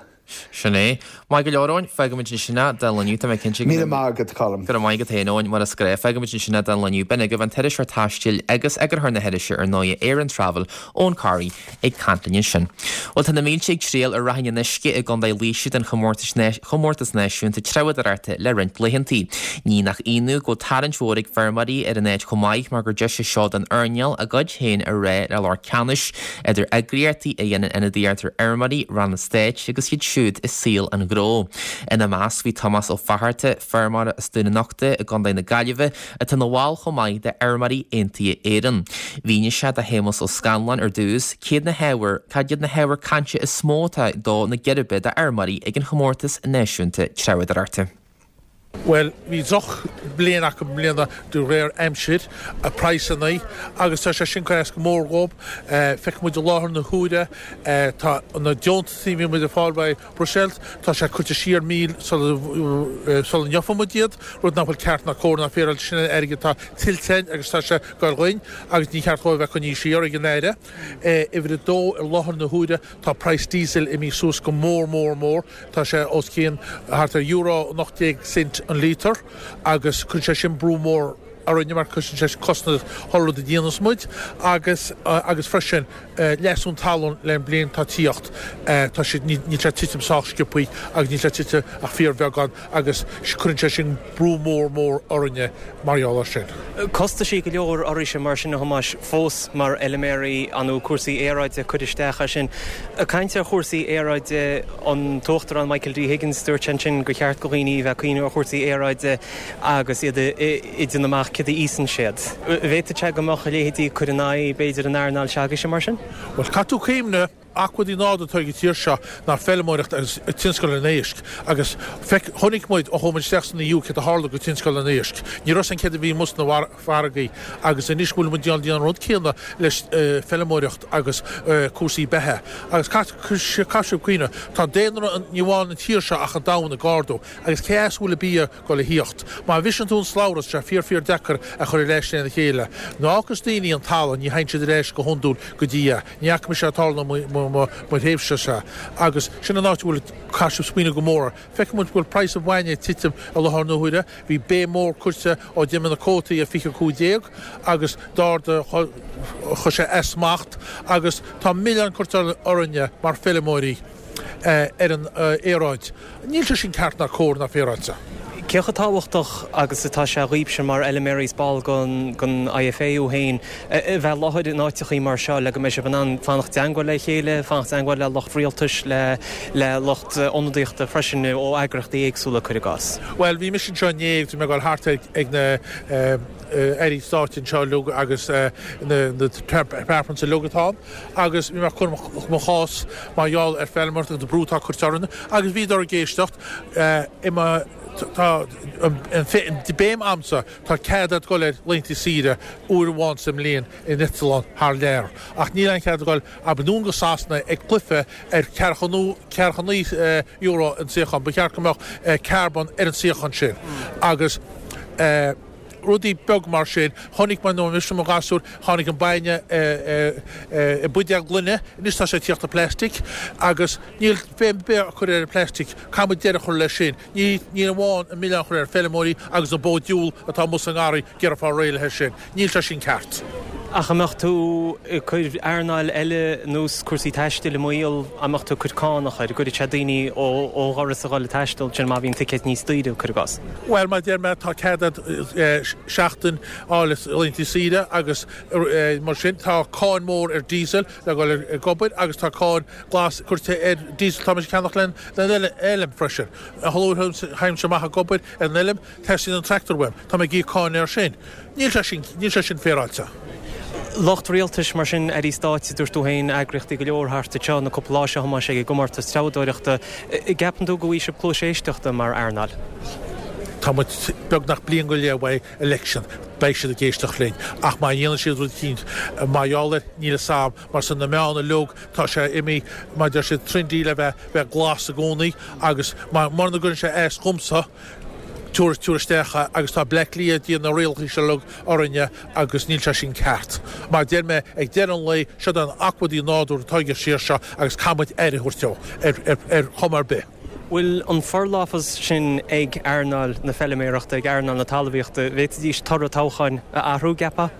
Sin é. Maith go leor, Eoin, fágfaimid ansin é don lá inniu, tá mé cinnte go. Míle maith agat, Colm. Go raibh maith agat féin, Eoin, mar is gnách. Fágfaimid ansin é don lá inniu. B'in agaibh an t-iriseoir taistil agus eagarthóir na hirise ar ndóigh, Éireann Travel, Eoin Corry, ag caint linn ansin. Bhuel, tá na mílte ag triall ar Ráithín an Uisce i gContae Laoise don chomórtas náisiúnta treabhadóireachta le roinnt laethantaí. Ní nach ionadh go bhfuil tarraingt mhór ag feirmeoirí ar an áit chomh maith mar gur deis é seo don earnáil a gcuid féin a rá le lucht ceannais idir eagraíochtaí a dhéanann ionadaíocht ar fheirmeoirí, ranna stáit agus iad siúd i saol an ghnó. Ina measc bhí Tomás Ó Fatharta, feirmeoir as Dún an Uchta i gContae na Gaillimhe, atá ina bhall chomh maith de Fheirmeoirí Aontaithe Éireann. Mhínigh sé do Shéamus Ó Scanláin ar dtús céad na hábhair, cad iad na hábhair cainte is mó atá ag dó na geirbe d'fheirmeoirí ag an chomórtas náisiúnta treabhadóireachta. Bhuel, bhí droch bliain acu i mbliana de réir aimsir, praghsanna, agus tá sé sin curtha as go mór dhóib. Feicfidh muid i láthair na huaire, tá na deontasaí a bhí muid ag fáil uaidh Bruiséil, tá sé curtha siar mí sula sula ngeofaidh muid iad, rud nach bhfuil ceart ná cóir ná féaráilte. Sin an airgead atá tuillte againn agus tá sé ag goil dhuinn agus ní cheart dhóibh a bheith coinnithe siar ag an Aire. Uimhir a dó, i láthair na huaire, tá praghas diesel imithe suas go mór mór mór. Tá sé os cionn thart ar euro an ocht déag cent an lítear agus cuireann sé sin brú mór orainne mar cuireann sé costas chuile rud a dhéanas muid agus agus freisin leasú talún le an bliain atá tíocht tá sé níl sé titim sách sciobthaí agus níl sé tite ach fíorbheagán agus cuireann sé sin brú mór mór orainne mar gheall air sin. Costaisí go leor oraibhse mar sin a Thomáis fós mar fheilméaraí nó cúrsaí aeráide ag cur isteach air sin. Ag caint ar chúrsaí aeráide, an tUachtarán Michael D Higgins, dúirt sé ansin gur cheart do dhaoine a bheith ag cuimhneamh ar chúrsaí aeráide agus iad ag déanamh amach céard a íosann siad. An bhféadfadh sé go mbeadh a leithéidí ag cur in aghaidh, b'fhéidir, an earnáil s'agaibhse mar sin? Bhuel, caithfidh tú cuimhneamh, acmhainní nádúrtha atá ag an tír seo ná feilméaracht agus tionscal an éisc agus feic, chonaic muid ó chuaigh muid isteach san EU céard a tharla go tionscal an éisc. Ní raibh san céard a bhí amuigh sna farraigí agus anois go bhfuil muid ag déanamh an rud céanna leis feilméaracht agus cúrsaí beatha. Agus caithfidh sibh cuimhneamh, tá daonra ní amháin an tír seo ach an domhan ag ardú agus cé as a bhfuil an bia ag dul a thíocht? Má bhriseann tú an slabhra tá sé fíor fíor deacair a chur ar ais lena chéile. Nuair a fhágas daoine an talamh ní théann siad ar ais go hiondúil go dtí é. Ní fhaca mise é ag tarlú i mo thréimhse-se agus sin an áit a bhfuil caithfidh sibh smaoineamh go mór air. Feicfidh muid go bhfuil praghas an bhainne ag titim i láthair na huaire. Bhí béim mhór curtha ó d'imigh na cuótaí ar fiche cúig déag agus d'ardaigh, chuir sé as smacht agus tá milleán curtha orainne mar feilméaraí ar an aeráid. Níl sé sin ceart ná cóir ná féaráilte. Cé chomh tábhachtach agus atá sé dhaoibhse mar fheilméaraí is ball den IFA thú féin a bheith i láthair in áiteachaí mar seo le go mbeidh sibh in ann fanacht i dteangmháil le chéile, fanacht i dteangmháil le lucht rialtais, le lucht ionadaíochta freisin ó eagraíochtaí éagsúla, cuir i gcás? Bhuel, bhí mise anseo inné agus bhí mé ag dul thart ag na airí stáit anseo uilig agus na departments uilig atá ann agus bhí mé ag cur mo chás mar gheall ar feilméaracht agus an brú atá curtha orainn agus bhíodar ag éisteacht i mo Tá an béim a'msa, tá cead a'd dul ar laethanta saoire uair amháin sa mbliain in eitleán thar lear, ach níl aon chead a'd dul anonn go Sasana ag cluiche ar ceathracha naoi euro an suíochán. Ba cheart go mbeadh carbon ar an suíochán sin agus rudaí beag mar sin. Chonaic mé nuair a bhí mise i mo ghasúr, tháinig an bainne i mbuidéal gloine, anois tá sé ag tíocht i plastic agus níl béim ar bith á cur ar an plastic, caithfidh muid deireadh a chur leis sin. Ní ní amháin an milleán a chur ar feilméaraí agus an bó diabhal atá amuigh sa ngarraí ag iarraidh fáil réidh leis sin. Níl sé sin ceart. Ach an mbeadh tú ag cur earnáil eile nós cúrsaí taistil i mbaol, an mbeadh tú ag cur cánach air, an gcuirfidh sé daoine ó dhoras a dhul ag taisteal, sin má bhíonn ticéid níos daoire, cuir i gcás? Bhuel, mar a deir mé, tá cead agat seachtain a fháil as laethanta saoire agus mar sin tá cáin mhór ar diesel le dhul ag obair agus tá cáin glas curtha ar diesel atá muid ag ceannach len an fheilm freisin. A luaithe a théimse amach ag obair ar an fheilm, teastaíonn an tractor uaim, tá mé ag íoc cáin air sin. Níl sé sin, níl sé sin féaráilte. Lucht rialtais, mar sin, airí stáit, dúirt tú féin, eagraíochtaí go leor thart anseo na cúpla lá seo, a Thomáis, ag an gcomórtas treabhdóireachta. An gceapann tú go bhfaighidh sibh cluas éisteachta mar earnáil? Tá muid beagnach bliain go leith uaidh election, beidh siad ag éisteacht linn. Ach má dhéanann siad rud eicínt mar gheall air, níl fhios a'm, mar san na meáin uilig, tá sé imithe, mar deir siad, trendy le bheith, bheith glas i gcónaí agus mura gcuireann sé as dhomsa, tabhair, tabhair isteach é agus tá Bleá Cliath ag déanamh na rialacha seo uilig orainne agus níl sé sin ceart. Mar deir mé, ag deireadh an lae, siod an acmhainn nádúrtha atá ag an tír seo agus caithfidh muid aire a thabhairt dó ar, ar, ar chuma ar bith. Bhfuil an forlámhas sin ag earnáil na feiliméarachta, ag earnáil na talmhaíochta, bhféadfaidís toradh toghcháin a athrú, gceapfá?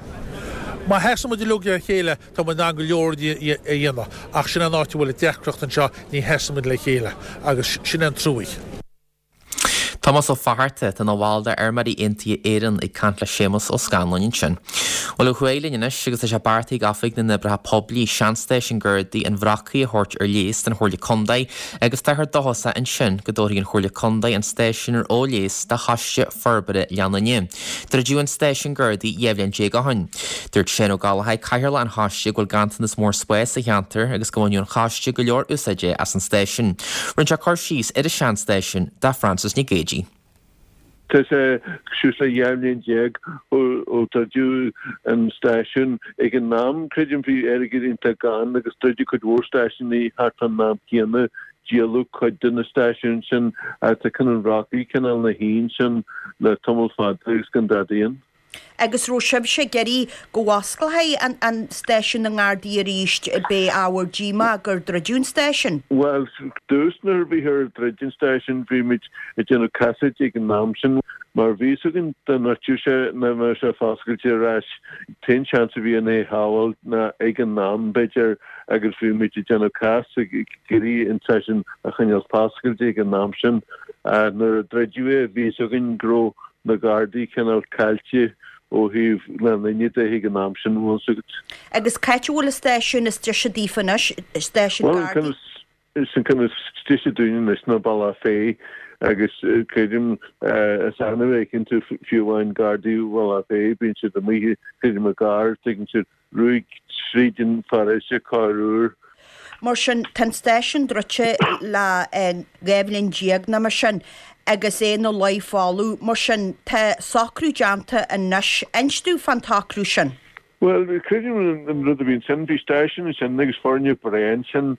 Má sheasann muid uilig le chéile, tá muid in ann go leor rudaí a dhéanamh, ach sin an áit a bhfuil an deacracht anseo, ní sheasann muid le chéile, agus sin an truaigh. Tomás Ó Fatharta, atá ina bhall de Fheirmeoirí Aontaithe Éireann, ag caint le Séamus Ó Scanláin ansin. Bhuel, ó thuaidh linn anois agus tá sé beartaithe ag Oifig na nOibreacha Poiblí seanstáisiún Gardaí an Bhrocaigh a thabhairt ar léas don Chomhairle Contae agus táthar dóchasach ansin go dtabharfaidh an Chomhairle Contae an stáisiún ar fho-léas do Choiste Forbartha Leanainn. Druideadh an stáisiún Gardaí dhá bhliain déag ó shin. Dúirt Seán Ó Gallchóir, Cathaoirleach an Choiste, go bhfuil ganntanas mór spáis sa cheantar agus go mbaineadh an Choiste go leor úsáide as an stáisiún. Rinne sé cur síos ar an seanstáisiún do Frances Nic Géadaigh. Tá sé suas le dhá bhliain déag ó druideadh an stáisiún. Ag an am, creidim, bhí airgead iontach gann agus druideadh cuid mhór stáisiúnaí thart fán am céanna. Díoladh cuid de na stáisiúin sin ach tá Ceann an Bhrocaigh cineál ina shuí ansin le tamall fada agus gan dadaí ann. Agus raibh sibhse ag iarraidh go bhfosclófaí an stáisiún na nGardaí arís, b'é ábhar díomá gur druideadh an stáisiún? Bhuel, dtús nuair a bhíthear ag druid an stáisiúin bhí muid ag déanamh casaoid ag an am sin mar bhí fhios againn dá ndruidfeadh sé nach mbeadh sé foscailte ar ais. T-aon seans a bhí ann é a shábháil ná ag an am b'fhéidir agus bhí muid ag déanamh cás ag iarraidh an stáisiún a choinneáil foscailte ag an am sin. Nuair a druideadh é bhí fhios againn go raibh na Gardaí cineál caillte ó thaobh leanaí de ag an am sin, bhfuil fhios agat. Agus c'áit a bhfuil an stáisiún is deise daofa anois, stáisiún Bhuel, an Gardaí? ceann is an ceann is deise dúinn anois ná Bealach Féich agus creidim is annamh a fheiceann tú fiú amháin Gardaí Bhealach Féich, bíonn siad amuigh creidim i gcarr, tuigeann siad ruaig tríd an pharóiste corruair. Mar sin, tá an stáisiún druidte le dhá bhliain déag nó mar sin agus é ina luí folamh. Mar sin, tá socrú déanta anois. Inis domh fán tsocrú sin. Bhuel, creidim an rud a bhí ansin, bhí stáisiún ansin agus foirgneamh breá ansin.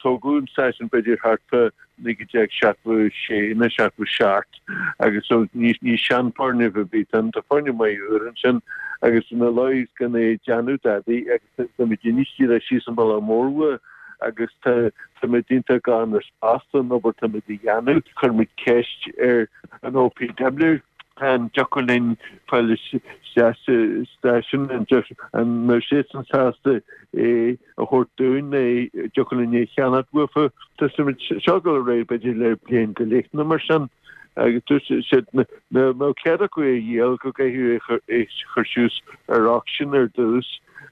Tógadh an stáisiún b'fhéidir thart fá naoi déag seachtó sé nó seachtó seacht agus so ní seanfhoirgneamh ar bith ann, tá foirgneamh maith úr ansin agus ina luí gan é ag déanamh dadaí agus tá muid anois díreach síos an bealach mór uaidh agus tá tá muid iontach gann ar spás don obair tá muid a dhéanamh. Chuir muid ceist ar an OPW an dtiocfadh linn fáil isteach sa stáisiún an mbeadh siadsan sásta é a thabhairt dúinn nó an dtiocfadh linn é a cheannacht uafa. Tá muid seo ag dul ar aghaidh b'fhéidir le bliain go leith nó mar sin agus dúirt siad dá mbeadh cead acu é a dhíol go gcaithfidh é a chur suas ar auction ar dtús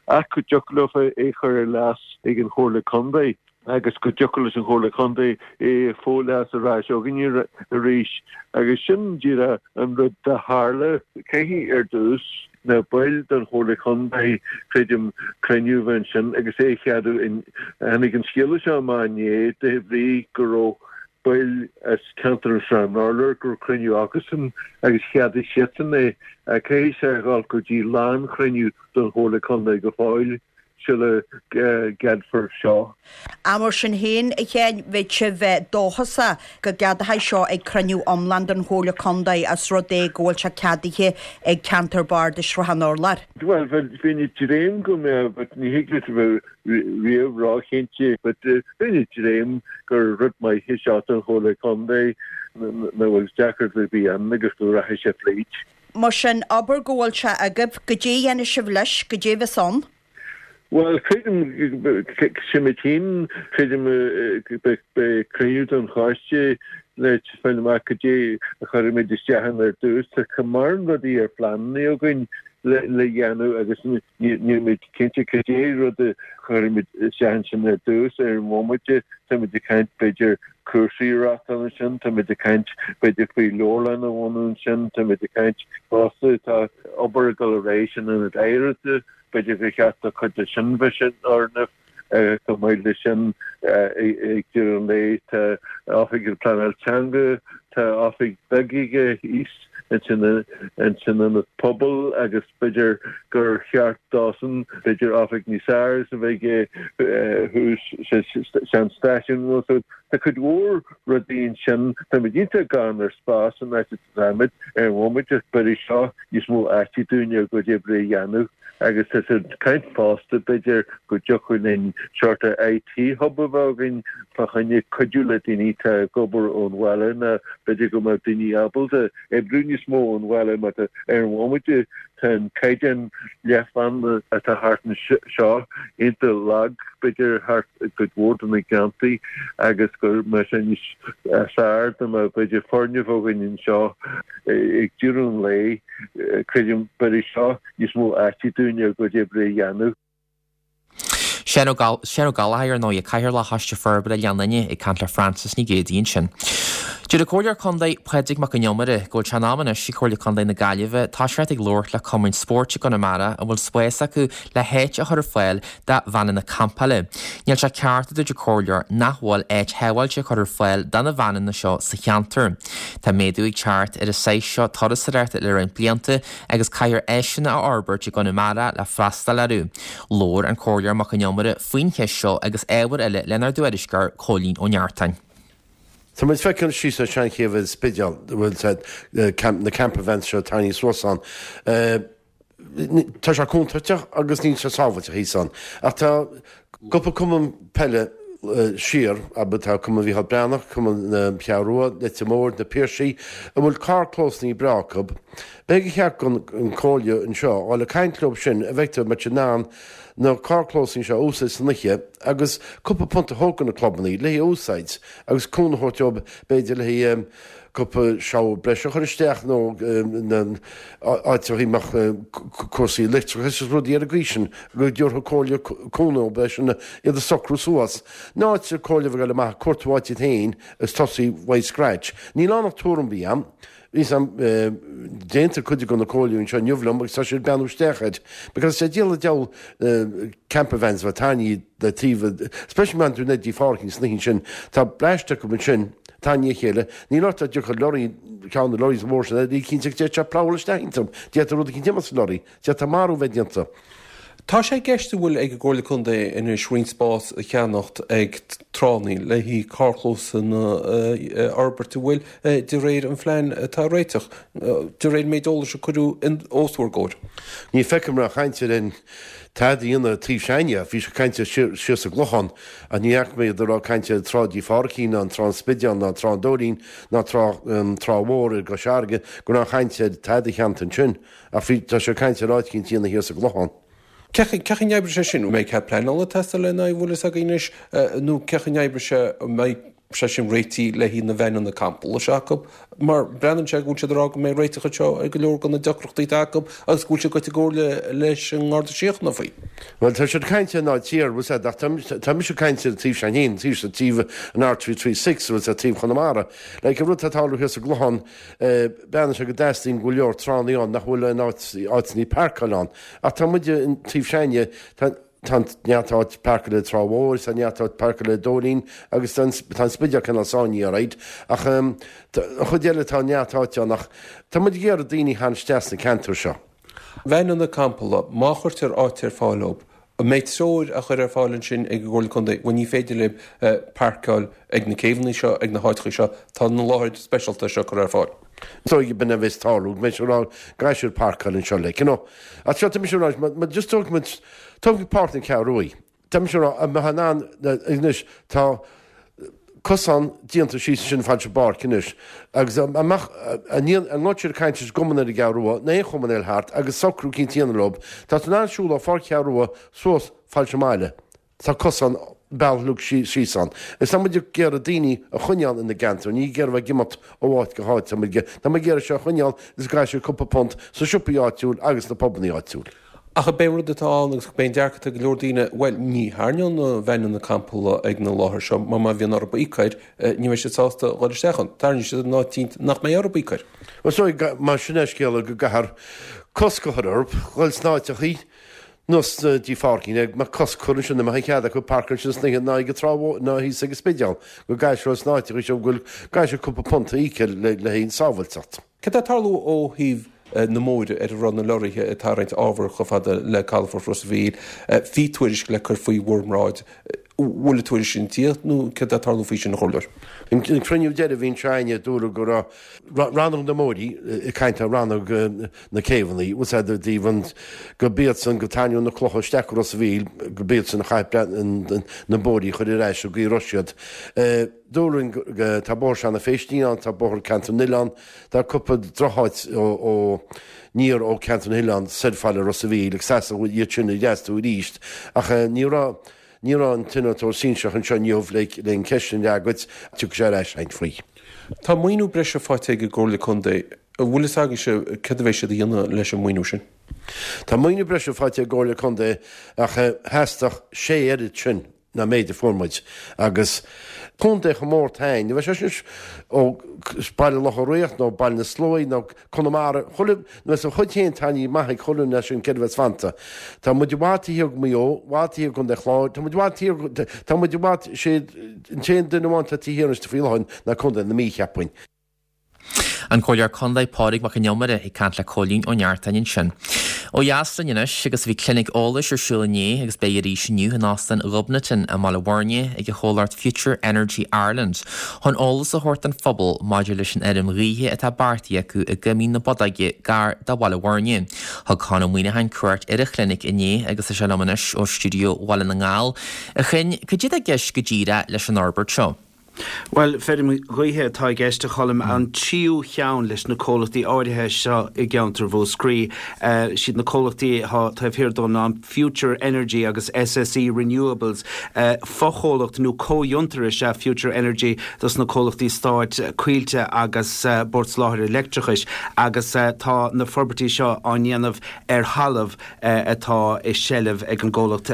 ach go dtiocfadh leofa é a chur ar léas ag an Chomhairle Contae. agus go dtiocfadh leis an Chomhairle Contae é a fho-léas ar ais againne arís. Agus sin díreach an rud a tharla. Caithfidh ar dtús na baill den Chomhairle Contae, creidim, cruinniú a bheith ansin agus é a cheadú. Tháinig an scéala seo amach inné de bhrí go raibh baill as ceantar an Srath an Urláir, go raibh cruinniú acusan agus cheadaigh siadsan é. Caithfidh sé a dhul go dtí lánchruinniú den Chomhairle Contae go fóill. sula gceadfar seo. Ach mar sin féin, a Sheáin, bheadh sibh dóchasach go gceadófaí seo ag cruinniú iomlán den Chomhairle Contae os rud é go bhfuil sé ceadaithe ag Ceantar Bardais Shrath an Urláir. Bhuel, bheinn ag dréim go mbeadh, but ní thig leat a bheith riamh róchinnte, but bheinn ag dréim gur rud maith é seo don Chomhairle Contae, nach bhfuil deacracht ar bith ann agus go rachaidh sé fríd. Mar sin, abair go bhfuil sé agaibh, goidé a dhéanfaidh sibh leis, goidé a bheas ann? Bhuel, creidim, sin mé féin, creidim beidh cruinniú den choiste le fáil amach goidé a chuirfimid isteach ann ar dtús. Tá mórán rudaí ar phleananna againn le dhéanamh agus nílimid cinnte cad é rud a chuirfimid isteach ansin ar dtús. Ar an bhomaite, táimid ag caint b'fhéidir cúrsaí a reáchtáil ansin, táimid ag caint b'fhéidir faoi leabharlann a bhunú ansin, táimid ag caint fosta, tá obair ag dul ar aghaidh san ionad oidhreachta, B'fhéidir gur cheart do chuid de sin bheith san fhoirgneamh. Chomh maith leis sin, ag deireadh an lae, tá Oifig na Pleanála Teanga, tá oifig bheag aige thíos ansin san Ionad Pobail agus b'fhéidir gur cheart dósan b'fhéidir oifig níos fearr a bheith aige thuas sa sean-stáisiún. Tá cuid mhór rudaí ansin. Táimid iontach gann ar spás san áit Táimid ar an bhomaite b'fhéidir seo níos mó áite dúinn ár gcuid oibre a dhéanamh agus tá siad ag caint fosta b'fhéidir go dtiocfadh linn sort of IT hub a bheith againn fá choinne cuidiú le daoine atá ag obair ón bhaile nó b'fhéidir go mbeadh daoine ábalta oibriú níos mó ón bhaile mar tá ar an bhomaite tá an caighdeán leathbhanda atá thart anseo iontach lag b'fhéidir thart i gcuid mhór de na ceantair agus go mbeadh sé níos fearr dá mbeadh b'fhéidir foirgneamh againn anseo ag deireadh an lae. Creidim b'fhéidir seo níos mó áite dúinn ár gcuid oibre a dhéanamh. Seán Ó Gallchóir, ar ndóigh, Cathaoirleach Choiste Forbartha Oileán Fhine, ag caint le Frances Ní Ghéibheannaigh ansin. Deir an Comhairleoir Contae Pádraig Mac Con Iomaire go bhfuil sé in am anois ag Comhairle Contae na Gaillimhe toiseacht ag labhairt le cumainn spóirt i gConamara a bhfuil spás acu le háit a chur ar fáil do veaineanna campála. Níl sé ceart, a dúirt an Comhairleoir, nach bhfuil áit shábháilte curtha ar fáil do na veaineanna seo sa cheantar. Tá méadú ag teacht ar an saghas seo turasóireachta le roinnt blianta agus caithfear áiseanna a fhorbairt i gConamara le freastal orthu. Labhair an Comhairleoir Mac Con Iomaire faoin cheist seo agus ábhair eile lenár dtuairisceoir Cóilín Ó Neachtain. Tá muid feiceáil síos ar Seanchéibh an Spidéil, bhfuil na camper vans seo tarraingthe suas ann. Tá sé contúirteach agus níl sé sábháilte thíos ann. Ach tá cúpla cumann peile siar, abair, tá Cumann Mhícheál Breathnach, Cumann na Ceathrún Rua, Leitir Móir, Na Piarsaigh, a bhfuil carrchlósanna breá acu. B'fhéidir gur cheart don Chomhairle anseo a dhul ag caint leo sin a bheidh muid in ann na carrchlósanna seo a úsáid san oíche agus cúpla punt a thabhairt do na clubanna le haghaidh úsáid agus cúnamh a thabhairt dóibh b'fhéidir le haghaidh cúpla shower breise a chur isteach nó na áiteacha a mbeadh cúrsaí leictreachais agus rudaí ar an gcaoi sin go dtabharfadh Comhairle cúnamh dóibh sin iad a socrú suas. In áit an Chomhairle a bheith ag dul amach ag cuartú áit iad féin agus tosaí uaidh scratch. Níl ann ach tuairim a bhí a'm. Bhí sam déanta cuid de na comhairleoirí anseo inniu liom agus tá siad ag breathnú isteach air because sé díol an diabhal camper vans a bheith tarraingthe le taobh especially má tú Neidí Phádraigín sna hoíche sin tá bleaist acu ansin tarraingthe a chéile níl ort ach dtiocfadh lorry ceann de lorries mhór sin ní cinnte go dtéadh sé plougháil isteach iontu d'fhéadfadh rud eicínt imeacht sa lorry d'fhéadfadh marú bheith déanta. Tá sé i gceist an bhfuil ag an gComhairle Contae anois roinnt spás a cheannacht ag tránna le haghaidh carrchlósanna a fhorbairt an bhfuil, de réir an phlean atá á réiteach, de réir an méid eolais a cuireadh os bhur gcomhair? Ní feicim aon chaint ar aon tada a dhéanamh taobh s'againne. Bhí sé caint siar sa gClochán ach ní fhaca mé iad ag rá caint ar Trá Dí Phádraicín ná an Trá an Spidéal ná Trá an Dóilín ná Trá Trá Mhór i gCois Fharraige go raibh aon chaint ar tada a cheannacht ansin ach bhí tá sé caint ar áit eicínt a dhéanamh thiar sa gClochán. Cén chaoi a n-oibreoidh sé sin? An mbeidh cead pleanála ag teastáil lena aghaidh, an bhfuil fhios againn anois, nó cén chaoi a n-oibreoidh sé, an mbeidh sé sin réitithe le haghaidh na veaineanna campála seo acu? Mar breathnaíonn sé go bhfuil siad ag rá go mbeidh réiteach anseo ar go leor de na deacrachtaí atá acu agus go bhfuil siad gaibhte i gcomhairle leis an nGarda Síochána faoi. Bhuel, tá siad ag caint ar an áit thiar, bhfuil fhios a'd, ach tá mise ag caint ar an taobh seo féin, taobh seo, taobh an R three three six, bhfuil fhios a'd, taobh Chonamara. Like, an rud atá ag tarlú thiar sa gClochán, breathnaíonn sé go dteastaíonn go leor tránna ann nach bhfuil aon áit, áiteanna páirceáil ann. Ach tá muide an taobh s'againne, tá tá neart áit páirceála i Trá Mhór, tá neart áit páirceála i Dóilín agus tá an tá an Spidéal cineál sáinnithe alright. Ach an chuid eile tá neart áite ann ach tá muid ag iarraidh daoine a tharraingt isteach sna ceantair seo. Veaineanna campála, má chuirtear áit ar fáil dóibh, An mbeidh treoir á chur ar fáil ansin ag an gComhairle Contae, bhuel ní féidir libh páirceáil ag na céibheanna seo, ag na háiteacha seo, tá na láthair speisialta seo curtha ar fáil. Is dóigh b'in a bheas ag tarlú, go mbeidh siad ag rá go gcaithfidh siad páirceáil anseo like, you know. Ach seo, tá mise ag rá, má, má just tógfaidh muid, tógfaidh Páirc na Ceathrún Rua, tá mise ag rá, an mbeifeá in ann, anois, tá, cosán déanta síos ansin fad sa bpáirc anois agus an mbeadh, an ngabhfadh siad ag caint leis an gcumann ar an gCeathrú Rua, nó aon chumann eile thart agus socrú eicínt a dhéanamh leo, tá tú in ann siúl ó Pháirc Cheathrú Rua suas fad leis an mbaile. Tá cosán bealach uilig síos ann. Is tá muid ag iarraidh daoine a choinneáil ina gceantar, ní ag iarraidh bheith ag imeacht ó áit go háit. Tá muid tá muid ag iarraidh seo a choinneáil agus go gcaithfidh siad cúpla punt sna siopaí áitiúil agus sna pubannaí áitiúil. Ach ab é an rud atá ann agus ab é an dearcadh atá ag go leor daoine, bhuel, ní thairneoidh na veaineanna campála ag na láthair seo mar má bhíonn orthu íoc air, ní bheidh siad sásta dhul isteach ann. Tarraingeoidh siad in áit eicínt nach mbeidh orthu íoc air. Bhuel, is dóigh, mar sin é an scéal go gcaithfear cosc a chur orthu dhul sna áiteachaí nó dtí pháircín ag mbeadh cosc curtha ansin, nach mbeadh aon chead acu páirceáil ansin san oíche ná ag an trá mhór ná thíos ag an Spidéal, go gcaithfidh siad sna áiteachaí seo go bhfuil gcaithfidh siad cúpla punt a íoc le le haghaidh an sábhailteacht. Cad tá ag tarlú ó thaobh na mbóithre ar a raibh na lorraithe ag tarraingt ábhar chomh fada le calafort Ros a' Mhíl? Bhí tuairisc le cur faoi bhur mbráid. Bhfuil an tuairisc sin tíocht nó céard tá ag tarlú faoi sin, a Chomhairleoir? An cruinniú deiridh a bhí anseo againne dúradh go raibh rannóg na mbóithrí ag caint ar rannóg na céibheanna, bhfuil a fhios a'd i dtaobh an go b'iadsan go tarraingíodh na clocha isteach go Ros a' Mhíl go b'iadsan a chaith na bóithrí a chur ar ais an gcaoi a raibh siad. Dúradh go tá bóthar Seanadh Phéistín ann, tá bóthar Ceantar na nOileán, tá cúpla drocháit ó aniar ó Ceantar na nOileán soir fad le Ros a' Mhíl agus theastaigh iad sin a dhreasú arís ach ní raibh Ní raibh an t-innealtóir sinsearach anseo inniu le an cheist sin a fhreagairt, tiocfaidh sé ar ais againn faoi. Tá maoiniú breise faighte ag an gComhairle Contae. An bhfuil fhios agaibhse céard a bheidh siad a dhéanamh leis an maoiniú sin? Tá maoiniú breise faighte ag an gComhairle Contae ach theastódh sé oiread sin ná méid a fuair muid agus contae chomh mór tain, ní bheidh sé sin ó Baile Locha Riach nó Baile na Sluaighe nó Conamara, chuile, nó is a chuid féin taitní maith ag chuile dhuine sin céard a bheas fanta. Tá muid i bhfad taobh thiar de Mhaigh Eo, i bhfad taobh thiar de Chontae Chláir, tá muid i bhfad thiar, tá muid i bhfad, sé an t-aon duine amháin atá taobh thiar anois faoi láthair ná Contae na Mí, cheapfainn. An Comhairleoir Contae Pádraig Mac Con Iomaire ag caint le Cóilín Ó Neachtain ansin. Ó dheas linn anois agus bhí clinic eolais ar siúl inné agus beidh arís inniu in Óstán Ghobnatan i mBaile Bhuirne ag an chomhlacht Future Energy Ireland chun eolas a thabhairt don phobal maidir leis an fheirm ghaoithe atá beartaithe acu i gCoimín na Bodóige gar do Bhaile Bhuirne. Thug Con Ó Muíneacháin cuairt ar an chlinic inné agus tá sé liom anois ó stiúideo Bhaile na nGall. A Choinn, cad é atá i gceist go díreach leis an fhorbairt seo? Bhuel, feirm ghaoithe atá i gceist, a Choilm, an tríú cheann leis na comhlachtaí áirithe seo i gceantar Mhúscraí. Siad na comhlachtaí atá taobh thiar dó ná Future Energy agus SSE Renewables. Fochomhlacht nó comhfhiontar is ea Future Energy dos na comhlachtaí stáit, Coillte agus Bord Soláthair Leictreachais, agus tá na forbairtí seo á ndéanamh ar thalamh atá i seilbh ag an gcomhlacht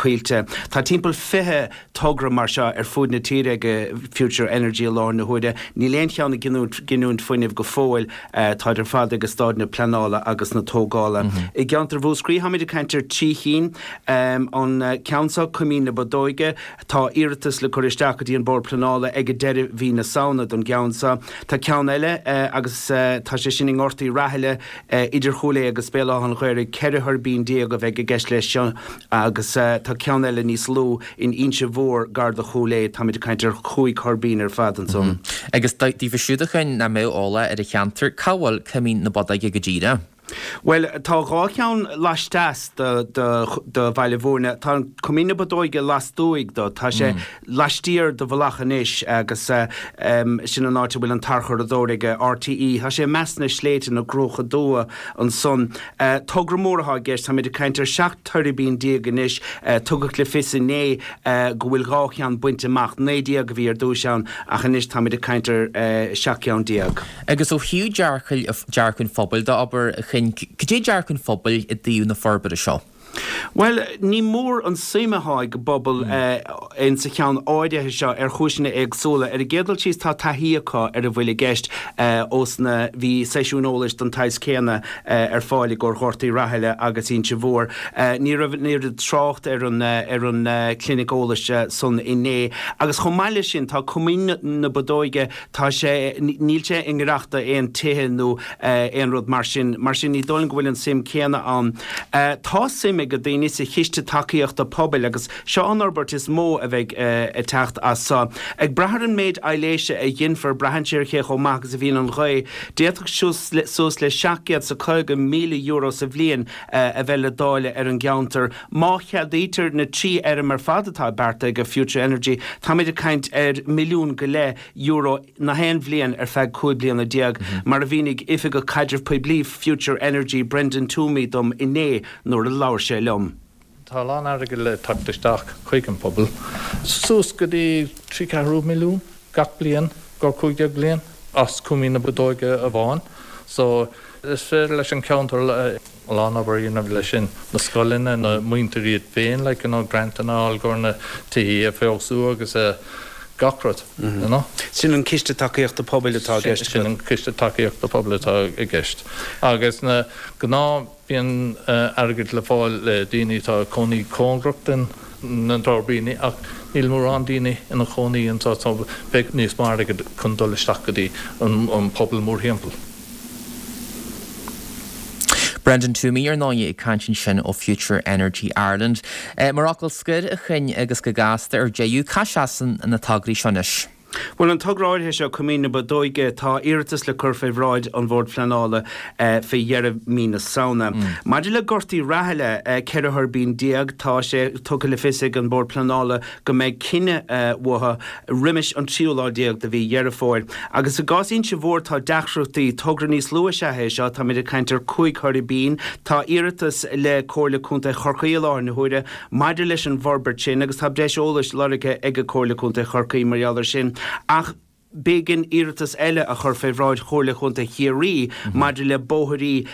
Coillte. Tá timpeall fiche togra mar seo ar fuaid na tíre ag Future Energy i láthair na huaire. Níl aon cheann ag giniúint fuinnimh go fóill. Táid ar fad ag staid na pleanála agus na tógála. I gceantar Mhúscraí táimid ag caint ar trí chinn. An ceann seo, Coimín na Bodóige, tá iarratas le cur isteach go dtí an Bord Pleanála ag deireadh mhí na Samhna don gceann seo. Tá ceann eile agus tá sé sin i nGort Uí Rathaille idir Chúil Aodha agus Béal Átha an Ghaorthaidh. Ceithre thuirbín déag a bheidh i gceist leis seo agus tá ceann eile níos lú In Inse Mhór, gar do Chúil Aodha, táimid ag caint ar chúig thuirbín ar fad ansan. Agus daofa siúd a Choinn nach mbeadh eolach ar an cheantar, cá bhfuil Coimín na Bodóige go díreach? Bhuel, tá dhá cheann laisteas de Bhaile Bhúirne. Tá Coimín na Bodóige lastuaidh do. Tá sé laistiar de Mhullach an Is agus sin an áit a bhfuil an tarchuradóir ag RTÉ. Tá sé i measc na sléibhte, na gCruacha Dubha ansan. Togra mór atá i gceist, táimid ag caint ar seacht tuirbín déag anois. Tugadh le fios inné go bhfuil dhá cheann bainte amach, naoi déag a bhí ar dtúis ann ach anois táimid ag caint ar seacht gceann déag. Agus ó thaobh dearcadh an phobail de, abair, a Choinn, cad é dearcadh an phobail i dtaobh na forbartha seo? Bhuel, ní mór an suim atá ag an bpobal insa cheann áirithe seo ar chúiseanna éagsúla. Ar an gcéad dul síos tá taithí acu ar a bhfuil i gceist ós na bhí seisiúin eolais den tsaghas céanna ar fáil i gcomhair Ghort Uí Rathaille agus Inse Mhór. Ní raibh an oiread trácht ar an ar an clinic eolais san inné. Agus chomh maith leis sin tá Coimín na Bodóige, tá sé, níl sé i ngiorracht d'aon tithe nó aon rud mar sin. Mar sin ní dóigh liom go bhfuil an suim céanna ann. Tá suim ag daoine sa Chiste Tacaíochta Pobail agus seo an fhorbairt is mó a bheidh ag teacht as seo. Ag brath ar an méid aibhléise a ghinfear, braitheann sé ar cé chomh maith agus a bhíonn an ghaoth, d'fhéadfadh suas le seacht gcéad 's a caoga míle euro sa bhliain a bheith le dáileadh ar an gceantar. Má cheadaítear na trí fheirm ar fad atá beartaithe ag Future Energy, táimid ag caint ar milliún go leith euro na haon bhliain ar feadh cúig bliana déag, mar a mhínigh Oifigeach Caidrimh Poiblí Future Energy, Brendan Toomey dom inné nuair a labhair sé liom. Tá a lán airgead le teacht isteach chuig an pobal, suas go dtí trí ceathrú milliún gach bliain go cúig déag bliain, as Coimín na Bodóige amháin. So is féidir leis an ceantar a lán obair a dhéanamh leis sin, na scoileanna, na muintir iad féin, like, you know, grantanna a fháil go na tithe a feabhsú agus gach rud, you know. Sin an Ciste Tacaíochta Pobail atá i gceist. Sin an Ciste Tacaíochta Pobail atá i gceist. Agus na gnáth bíonn airgead le fáil le daoine atá ag cónaí cóngarach den na tuirbíní ach níl mórán daoine ina chónaí anseo so beidh níos mó airgead chun dul isteach go dtí an pobal mórthimpeall. Brendan Toomey ar ndóigh ag caint ansin ó Future Energy Ireland. Mar fhocal scoir a Chinn agus go gasta ar deireadh, cá seasann na tograí seo anois? Bhuel, an togra áirithe seo, Coimín na Bodóige, tá iarratas le cur fé bhráid an Bhoird Phleanála fé dheireadh mí na Samhna. Maidir le Gort Uí Rathaille, ceithre thuirbín déag, tá sé tugtha le fios ag an Bord Pleanála go mbeidh cinneadh uathu roimis an tríú lá déag de mhí Dheireadh Fómhair. Agus i gcás Inse Mhór tá deacrachtaí, togra níos lú is ea é seo, táimid ag caint ar cúig thuirbín. Tá iarratas le Comhairle Contae Chorcaí i láthair na huaire maidir leis an bhforbairt sin agus tá breis eolais lorgtha ag Comhairle Contae Chorcaí mar gheall air sin. Ach b'éigean iarratas eile a chur fé bhráid Chomhairle Chontae Chiarraí maidir le bóithrí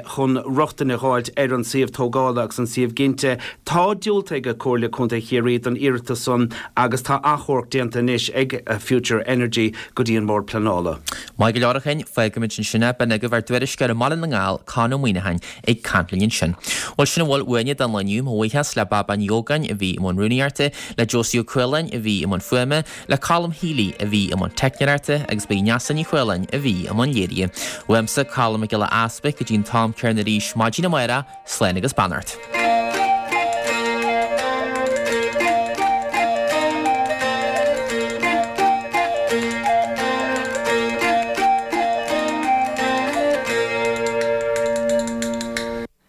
chun rochtain a dh'fháilt ar an suíomh tógála agus an suíomh ginte. Tá diúltaithe ag Comhairle Contae Chiarraí don iarratas san agus tá achomharc déanta anois ag Future Energy go dtí an mBord Pleanála. Maith go leor a Chinn, fágfaimid ansin é. B'in agaibh ár dtuairisceoir i mBaile na nGall, Conn Ó Muíneacháin, ag caint linn ansin. Bhuel, sin a bhfuil uainne don lá inniu. Mo bhuíochas le Baba Ní Ógáin a bhí i mbun rúnaíochta, le Josie Ó Cualáin a bhí i mbun fuaime, le Colm Healy a bhí i mbun teicneoireachta agus ba í Neasa Ní Chualáin a bhí i mbun léirithe. Uaimse, Colm Mac Giolla Easpaig, go dtí an t-am céanna arís maidin amárach, slán agus beannacht.